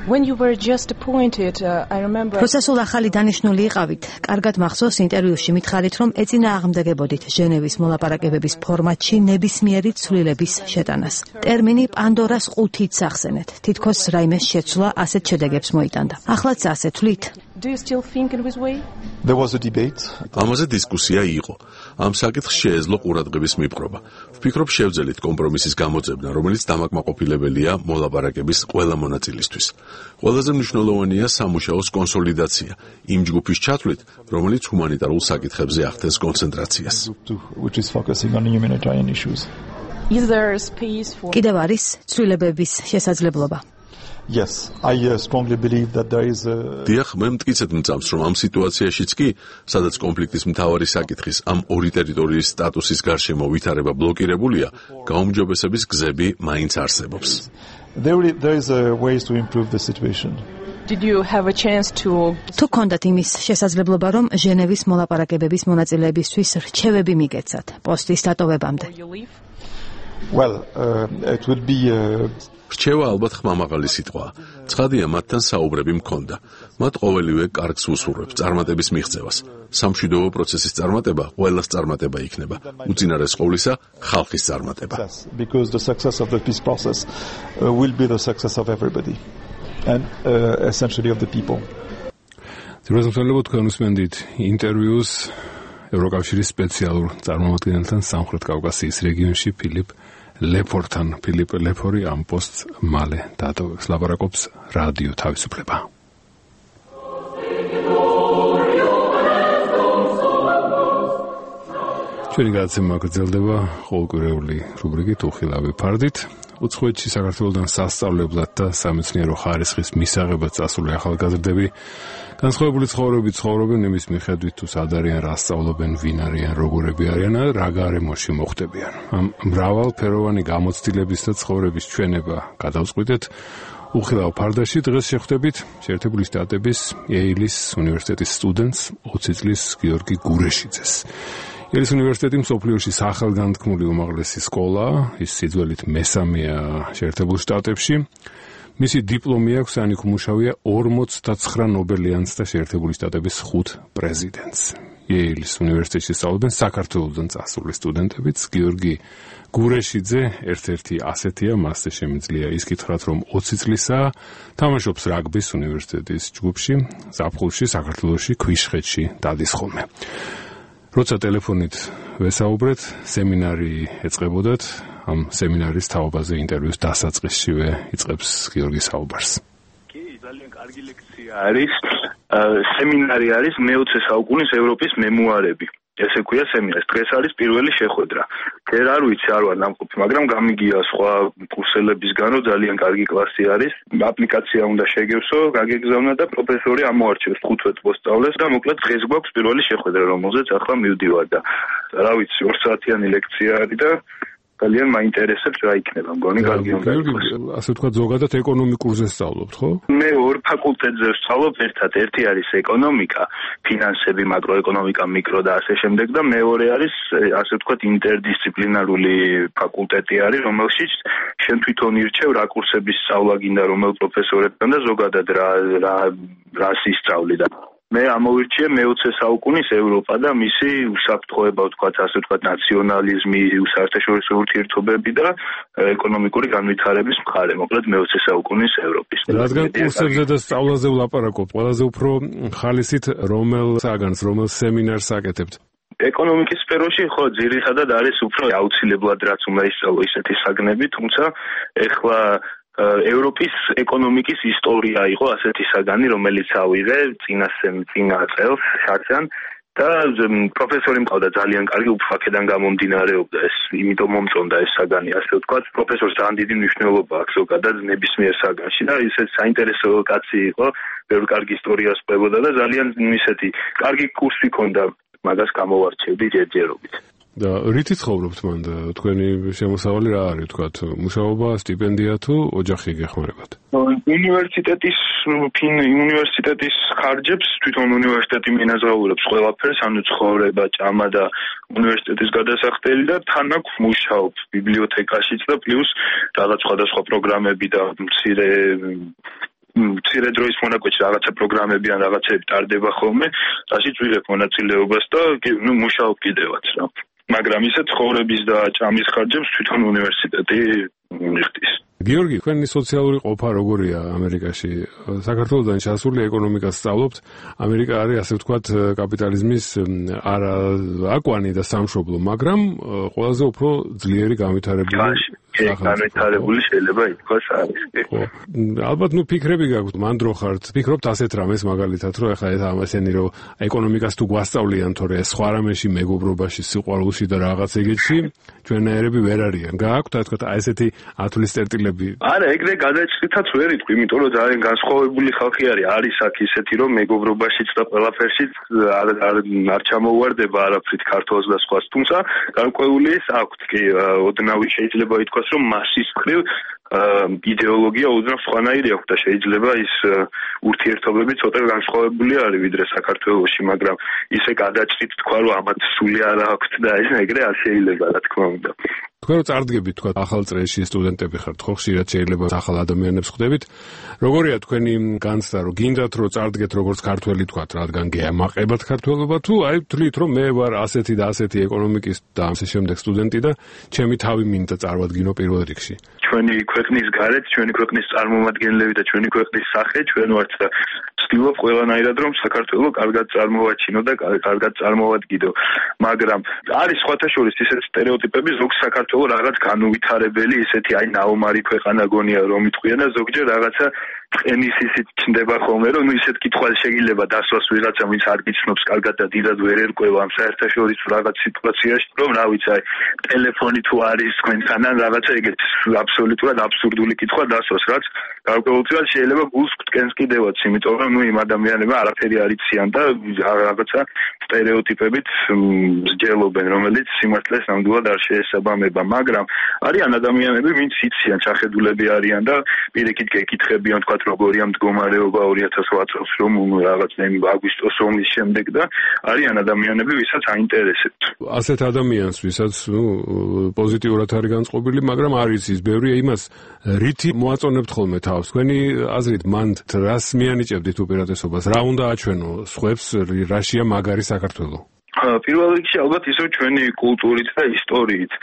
[SPEAKER 19] When you were just appointed, uh, I remember
[SPEAKER 20] პროცესულ ახალი დანიშნული იყავით. კარგად მახსოვს ინტერვიუში მითხარით, რომ ეწინააღმდეგებოდით ჟენევის მოლაპარაკებების ფორმატში ნებისმიერი ცვლილების შეტანას. ტერმინი პანდორას ყუთით სახსენეთ. თითქოს რაიმე შეცვლა ასეთ შედეგებს მოიტანდა. ახლაც ასე თვლით?
[SPEAKER 19] Do you still think in this way?
[SPEAKER 8] There was a debate.
[SPEAKER 4] ამაზე დისკუსია იყო. ამ საკითხს შეეძლო ყურადღების მიპყრობა. ვფიქრობ, შევძელით კომპრომისის გამოძებნა, რომელიც დამაკმაყოფილებელია მოლაპარაკების ყველა მონაწილისთვის. ყველაზე მნიშვნელოვანია სამუშაოს კონსოლიდაცია, იმ ჯგუფის ჩათვლით, რომელიც ჰუმანიტარულ საკითხებზე ახდენს კონცენტრაციას.
[SPEAKER 8] Which is focusing on humanitarian issues.
[SPEAKER 19] Is there space for
[SPEAKER 20] კიდევ არის ცვლილებების შესაძლებლობა.
[SPEAKER 8] Yes, I uh, strongly believe that there is a
[SPEAKER 4] დიახ, მე მტკიცედ მწამს, რომ ამ სიტუაციაშიც კი, სადაც კონფლიქტის მთავარი საკითხის ამ ორი ტერიტორიის სტატუსის გარშემო ვითარება ბლოკირებულია, გაუმჯობესების გზები მაინც არსებობს.
[SPEAKER 8] There, there is a ways to improve the situation.
[SPEAKER 19] Did you have a chance to
[SPEAKER 20] თუ გქონდათ იმის შესაძლებლობა, რომ ჟენევის მოლაპარაკებების მონაწილეებისთვის რჩევები მიგეცათ პოსტის დატოვებამდე?
[SPEAKER 8] Well, uh, it would be uh,
[SPEAKER 4] რჩევა ალბათ ხმამაღალი სიტყვაა. ცხადია, მათთან საუბრები მქონდა. მათ ყოველივე კარგს უსურვებს წარმატების მიღწევას. სამშვიდობო პროცესის წარმატება ყველას წარმატება იქნება. უწინარეს ყოვლისა, ხალხის წარმატება.
[SPEAKER 8] Because the success of the peace process uh, will be the success of everybody and uh, essentially of the people.
[SPEAKER 1] ძირითადად თქვენ უსმენდით ინტერვიუს ევროკავშირის სპეციალურ წარმომადგენელთან სამხრეთ კავკასიის რეგიონში ფილიპ ლეფორთან. ფილიპ ლეფორი ამ პოსტს მალე დატოვებს. ლაპარაკობს რადიო თავისუფლება. ჩვენი გადაცემა გრძელდება ყოველკვირეული რუბრიკით უხილავი ფარდით. უცხოეთში საქართველოსთან სასწავლებლად და სამეცნიერო ხარისხის მისაღებად წასული ახალგაზრდები განსხვავებული ცხოვრებით ცხოვრობენ იმის მიხედვით, თუ სად არიან, რა სწავლობენ, ვინ არიან, როგორები არიან, რა გარემოში მოხდებიან. ამ მრავალფეროვანი გამოცდილების და ცხოვრების ჩვენება გადავწყვიტეთ უხილავ ფარდაში. დღეს შეხვდებით შეერთებული შტატების იეილის უნივერსიტეტის სტუდენტს, ოცი წლის გიორგი გურეშიძეს. იელის უნივერსიტეტი მსოფლიოში სახელგანთქმული უმაღლესი სკოლაა, ის სიძველით მესამეა შეერთებულ შტატებში. მისი დიპლომი აქვს, ან იქ უმუშავია ორმოცდაცხრა ნობელიანს და შეერთებული შტატების ხუთ პრეზიდენტს. იეილის უნივერსიტეტში სწავლობენ საქართველოსთან წასული სტუდენტებიც. გიორგი გურეშიძე ერთ-ერთი ასეთია, მასზე შემიძლია ის კითხრათ, რომ ოცი წლისაა, თამაშობს რაგბის უნივერსიტეტის ჯგუფში, ზაფხულში საქართველოში ქვიშხეთში დადის ხოლმე. როცა ტელეფონით ვესაუბრეთ, სემინარი ეწყებოდათ, ამ სემინარის თაობაზე ინტერვიუს დასაწყისშივე იწყებს გიორგი საუბარს.
[SPEAKER 7] კი, ძალიან კარგი ლექცია არის. სემინარი არის მეოცე საუკუნის ევროპის მემუარები. ესე ქვია სემინარი. დღეს არის პირველი შეხვედრა. ჯერ არ ვიცი, არ ვარ ნამყოფი, მაგრამ გამიგია სხვა კურსელებისგანო ძალიან კარგი კლასი არის. აპლიკაცია უნდა შეგევსო, გაგეგზავნა და პროფესორი ამოარჩევს ხუთვე მოსწავლეს და მოკლედ დღეს გვაქვს პირველი შეხვედრა, რომელზეც ახლა მივდივარ და რა ვიცი, ორ საათიანი ლექცია არის და ძალიან მაინტერესებს რა იქნება, მგონი კარგი უნდა იყოს.
[SPEAKER 1] ასე თქვა, ზოგადად ეკონომიკურზე სწავლობთ, ხო?
[SPEAKER 7] მე ორ ფაკულტეტზე ვსწავლობ ერთად. ერთი არის ეკონომიკა, ფინანსები, მაკროეკონომიკა, მიკრო და ასე შემდეგ და მეორე არის ასე ვთქვათ ინტერდისციპლინარული ფაკულტეტი არის, რომელშიც შენ თვითონ ირჩევ რა კურსების სწავლა გინდა, რომელ პროფესორებთან და ზოგადად რა რა რა ისწავლი და მე ამოვირჩიე მეოცე საუკუნის ევროპა და მისი უსაფრთხოება, ვთქვათ, ასე ვთქვათ, ნაციონალიზმი, საერთაშორისო ურთიერთობები და ეკონომიკური განვითარების მხარე, მოკლედ მეოცე საუკუნის ევროპის.
[SPEAKER 1] რადგან კურსებზე და სწავლაზე ვლაპარაკობთ, ყველაზე უფრო ხალისით რომელ საგანს, რომელ სემინარს აკეთებთ?
[SPEAKER 7] ეკონომიკის სფეროში ხო ძირითადად არის უფრო აუცილებლად რაც უნდა ისწავლო ისეთი საგნები, თუმცა ეხლა ევროპის ეკონომიკის ისტორია იყო ასეთი საგანი, რომელიც ავიღე წინა წინა წელს შარშან და პროფესორი მყავდა ძალიან კარგი, უფრო აქედან გამომდინარეობდა ეს, იმიტომ მომწონდა ეს საგანი, ასე ვთქვათ, პროფესორს ძალიან დიდი მნიშვნელობა აქვს ზოგადად ნებისმიერ საგანში და ისეთ საინტერესო კაცი იყო, ბევრ კარგი ისტორიას ყვებოდა და ძალიან ისეთი კარგი კურსი ჰქონდა, მაგას გამოვარჩევდი ჯერჯერობით.
[SPEAKER 1] და რითი ცხოვრობთ მან და თქვენი შემოსავალი რა არის, თქვათ, მუშაობა, სტიპენდია თუ ოჯახი გეხმარებათ?
[SPEAKER 7] უნივერსიტეტის ფინ უნივერსიტეტის ხარჯებს თვითონ უნივერსიტეტი მინაზღაურებს ყველაფერს, ანუ ცხოვრება, ჭამა და უნივერსიტეტის გადასახდელი და თან აქვს მუშაობ ბიბლიოთეკაშიც და პლუს რაღაც სხვადასხვა პროგრამები და მცირე მცირე დროის მონაკვეთში რაღაცა პროგრამები ან რაღაცები ტარდება ხოლმე, რაშიც ვიღებ მონაწილეობას და ნუ მუშაობ კიდევაც რა. მაგრამ ისე ცხოვრების და ჭამის ხარჯებს თვითონ უნივერსიტეტი მიხდის.
[SPEAKER 1] გიორგი, თქვენი სოციალური ყოფა როგორია ამერიკაში? საქართველოსთან ჩასული ეკონომიკას სწავლობთ. ამერიკა არის ასე ვთქვათ კაპიტალიზმის არა აკვანი და სამშობლო, მაგრამ ყველაზე უფრო ძლიერი განვითარებული
[SPEAKER 7] განვითარებული შეიძლება ითქვას არის.
[SPEAKER 1] ხო. ალბათ ნუ ფიქრები გაქვთ, მან დრო ხართ. ფიქრობთ ასეთ რამეს მაგალითად, რომ ეხლა ეს ამასენი რომ ეკონომიკას თუ გვასწავლიან, თორე სხვა რამეში მეგობრობაში, სიყვარულში და რაღაც ეგეთში ჩვენაერები ვერ არიან. გააქვთ ასე ვთქვათ ესეთი ათვლის წერტილები?
[SPEAKER 7] არა, ეგრე გადაჭრითაც ვერ იტყვი, იმიტომ რომ ძალიან განსხვავებული ხალხი არის. არის აქ ისეთი, რომ მეგობრობაშიც და ყველაფერშიც არ არ არ ჩამოუვარდება არაფრით ქართულს და სხვას. თუმცა გარკვეული ეს აქვთ კი ოდნავი შეიძლება ითქვას, რომ მასის მხრივ იდეოლოგია ოდნავ სხვანაირი აქვს და შეიძლება ის ურთიერთობები ცოტა განსხვავებული არის ვიდრე საქართველოში, მაგრამ ისე გადაჭრით თქვა, რომ ამათ სული არ აქვს და ეს ეგრე არ შეიძლება, რა თქმა უნდა.
[SPEAKER 1] თქვენ რო წარდგებით თქვა ახალ წრეში სტუდენტები ხართ, ხო ხშირად შეიძლება ახალ ადამიანებს ხვდებით. როგორია თქვენი განცდა, რომ გინდათ რომ წარდგეთ როგორც ქართველი თქვა, რადგან გეამაყებათ ქართველობა, თუ აი თვლით რომ მე ვარ ასეთი და ასეთი ეკონომიკის და ამის შემდეგ სტუდენტი და ჩემი თავი მინდა წარმოვადგინო პირველ რიგში.
[SPEAKER 7] ჩვენი ქვეყნის გარეთ, ჩვენი ქვეყნის წარმომადგენლები და ჩვენი ქვეყნის სახე ჩვენ ვართ და ვცდილობ ყველანაირად რომ საქართველო კარგად წარმოვაჩინო და კარგად წარმოვადგინო. მაგრამ არის სხვათა შორის ისეთ სტერეოტიპები, ზოგ საქართველო რაღაც განუვითარებელი, ისეთი აი ნაომარი ქვეყანა გონია რომ იტყვიან და ზოგჯერ რაღაცა ყენის ისიც ჩნდება ხოლმე, რომ ნუ ისეთ კითხვას შეიძლება დასვას ვიღაცა, ვინც არ გიცნობს კარგად და დიდად ვერ ერკვევა ამ საერთაშორისო რაღაც სიტუაციაში, რომ რა ვიცი, აი ტელეფონი თუ არის თქვენთან ან რაღაცა ეგეთ აბსოლუტურად აბსურდული კითხვა დასვას, რაც გარკვეულწილად შეიძლება გულს გვტკენს კიდევაც, იმიტომ რომ ნუ იმ ადამიანებმა არაფერი არ იციან და რაღაცა სტერეოტიპებით მსჯელობენ, რომელიც სიმართლეს ნამდვილად არ შეესაბამება, მაგრამ არიან ადამიანები, ვინც იციან, ჩახედულები არიან და პირიქით გეკითხებიან, თქვა როგორია მდგომარეობა ორი ათას ოთხ წელს რომ რაღაც აგვისტოს ომის შემდეგ და არიან ადამიანები, ვისაც აინტერესებთ.
[SPEAKER 1] ასეთ ადამიანს, ვისაც ნუ პოზიტიურად არის განწყობილი, მაგრამ არის ის ბევრი იმას რითი მოაწონებთ ხოლმე თავს. თქვენი აზრით მან რას მიანიჭებდით უპირატესობას? რა უნდა აჩვენო სხვებს, რაშია მაგარი საქართველო?
[SPEAKER 7] პირველ რიგში ალბათ ისო ჩვენი კულტურით და ისტორიით.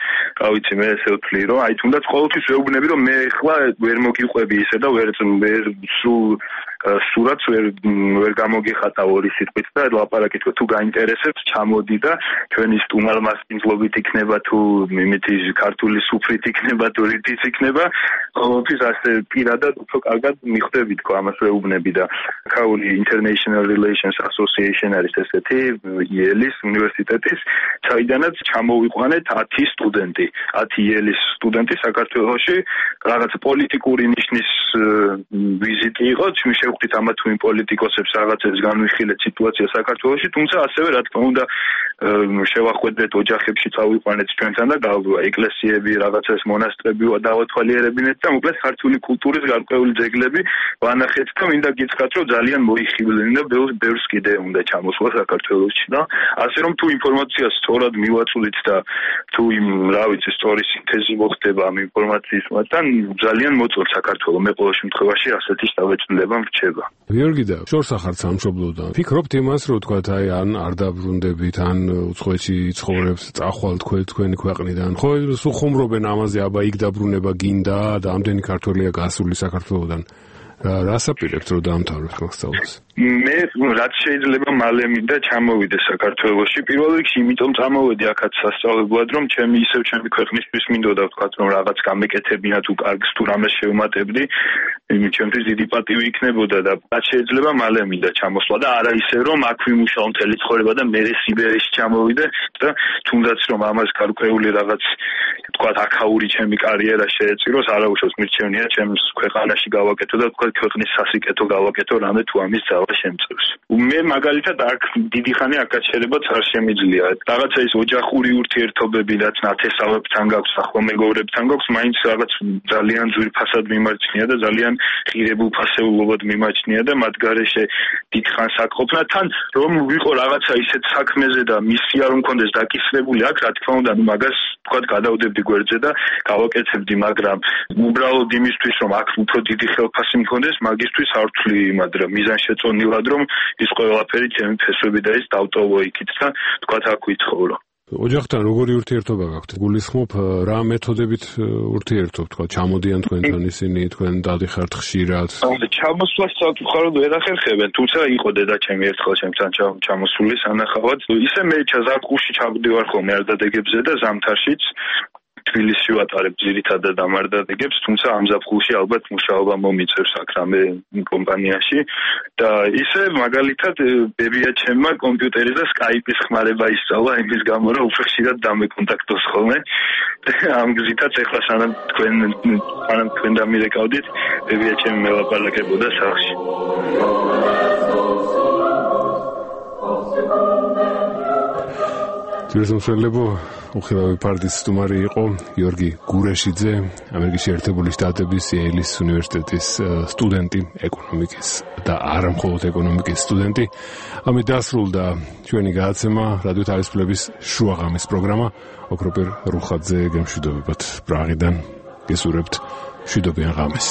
[SPEAKER 7] რა ვიცი, მე ესე ვთვლი, რომ აი თუნდაც ყოველთვის ვეუბნები, რომ მე ახლა ვერ მოგიყვები ისე და ვერ ვერ სულ სურათს ვერ ვერ გამოგიხატავ ორი სიტყვით და ლაპარაკი თქვა თუ გაინტერესებს ჩამოდი და ჩვენი სტუმარ-მასპინძლობით იქნება თუ იმითი ქართული სუფრით იქნება თუ რითიც იქნება ყოველთვის ასე პირადად უფრო კარგად მიხვდები თქვა ამას ვეუბნები და ქაული International Relations Association არის ესეთი იელის უნივერსიტეტის საიდანაც ჩამოვიყვანეთ ათი სტუდენტი ათი იელის სტუდენტი საქართველოში რაღაც პოლიტიკური ნიშნის ვიზიტი იყო შევხვდით ამა თუ იმ პოლიტიკოსებს რაღაცებს განვიხილეთ სიტუაცია საქართველოში, თუმცა ასევე რა თქმა უნდა შევახვედრეთ ოჯახებში წავიყვანეთ ჩვენთან და ეკლესიები, რაღაცას მონასტრები დავათვალიერებინეთ და მოკლედ ქართული კულტურის გარკვეული ძეგლები ვანახეთ და მინდა გითხრათ, რომ ძალიან მოიხიბლნენ და ბევრს კიდე უნდა ჩამოსვლა საქართველოში და ასე რომ თუ ინფორმაციას სწორად მივაწვდით და თუ იმ რა ვიცი სწორი სინთეზი მოხდება ამ ინფორმაციის მათთან ძალიან მოწონს საქართველოს მე ყოველ შემთხვევაში ასეთი შთაბეჭდილება მრჩება.
[SPEAKER 1] გიორგი და შორს ახარ სამშობლოდან. ფიქრობთ იმას, რომ თქვა აი ან არ დაბრუნდებით, ან უცხოეთში ცხოვრებს, წახვალ თქვენ თქვენი ქვეყნიდან. ხო, სულ ხუმრობენ ამაზე, აბა იქ დაბრუნება გინდა და ამდენი ქართველია გასული საქართველოდან. რას აპირებთ რომ დაამთავროთ მასწავლას?
[SPEAKER 7] მე რაც შეიძლება მალე მინდა ჩამოვიდე საქართველოში. პირველ რიგში იმიტომ წამოვედი აქაც სასწავლებლად, რომ ჩემი ისევ ჩემი ქვეყნისთვის მინდოდა ვთქვათ, რომ რაღაც გამეკეთებინა თუ კარგს თუ რამეს შევმატებდი, იმით ჩემთვის დიდი პატივი იქნებოდა და რაც შეიძლება მალე მინდა ჩამოსვლა და არა ისე რომ აქ ვიმუშაო მთელი ცხოვრება და მე სიბერეში ჩამოვიდე და თუნდაც რომ ამას გარკვეული რაღაც ვთქვათ აქაური ჩემი კარიერა შეეწიროს, არა უშავს მირჩევნია ჩემს ქვეყანაში გავაკეთო და ვთქვათ ქვეყნის სასიკეთო გავაკეთო რამე თუ ამის ძალა შემწევს. მე მაგალითად აქ დიდი ხანი აკაჩერებაც არ შემიძლია. რაღაცა ის ოჯახური ურთიერთობები, რაც ნათესავებთან გაქვს, ახლო მეგობრებთან გაქვს, მაინც რაღაც ძალიან ძვირფასად მიმარჩნია და ძალიან ღირებულ ფასეულობად მიმაჩნია და მათ გარეშე დიდხანს აკყოფნა თან რომ ვიყო რაღაცა ისეთ საქმეზე და მისი არ მქონდეს დაკისრებული აქ რა თქმა უნდა ნუ მაგას თქვა გადავდებდი გვერდზე და გავაკეთებდი, მაგრამ უბრალოდ იმისთვის რომ აქ უფრო დიდი ხელფასი მქონდეს მქონდეს მაგისთვის არ ვთვლი, მაგრამ მიზანშეწონილად რომ ის ყველაფერი ჩემი ფესვები და ის დავტოვო იქით და თქვათ აქ ვიცხოვრო.
[SPEAKER 1] ოჯახთან როგორი ურთიერთობა გაქვთ? გულისხმობ რა მეთოდებით ურთიერთობთ, თქვა ჩამოდიან თქვენთან ისინი, თქვენ დადიხართ ხშირად?
[SPEAKER 7] ჩამოსვლას საკუთარ ვერ ახერხებენ, თუმცა იყო დედაჩემი ერთხელ ჩემთან ჩამოსული სანახავად. ისე მე ზაფხულში ჩავდივარ ხოლმე არდადეგებზე და ზამთარშიც თბილისში ვატარებ ძირითადად ამ არდადეგებს, თუმცა ამ ზაფხულში ალბათ მუშაობა მომიწევს აქ რამე კომპანიაში და ისე მაგალითად ბებია ჩემმა კომპიუტერი და სკაიპის ხმარება ისწავლა იმის გამო რომ უფრო ხშირად დამეკონტაქტოს ხოლმე ამ გზითაც ეხლა სანამ თქვენ სანამ თქვენ დამირეკავდით ბებია ჩემი მელაპარაკებოდა სახლში.
[SPEAKER 1] ძირითადად უხილავი პარტიის სტუმარი იყო გიორგი გურეშიძე, ამერიკის შეერთებული შტატების იელის უნივერსიტეტის სტუდენტი, ეკონომიკის და არა მხოლოდ ეკონომიკის სტუდენტი. ამით დასრულდა ჩვენი გადაცემა რადიო თავისუფლების შუაღამის პროგრამა. ოქროპერ რუხაძე გემშვიდობებათ პრაღიდან. გესურვებთ მშვიდობიან ღამეს.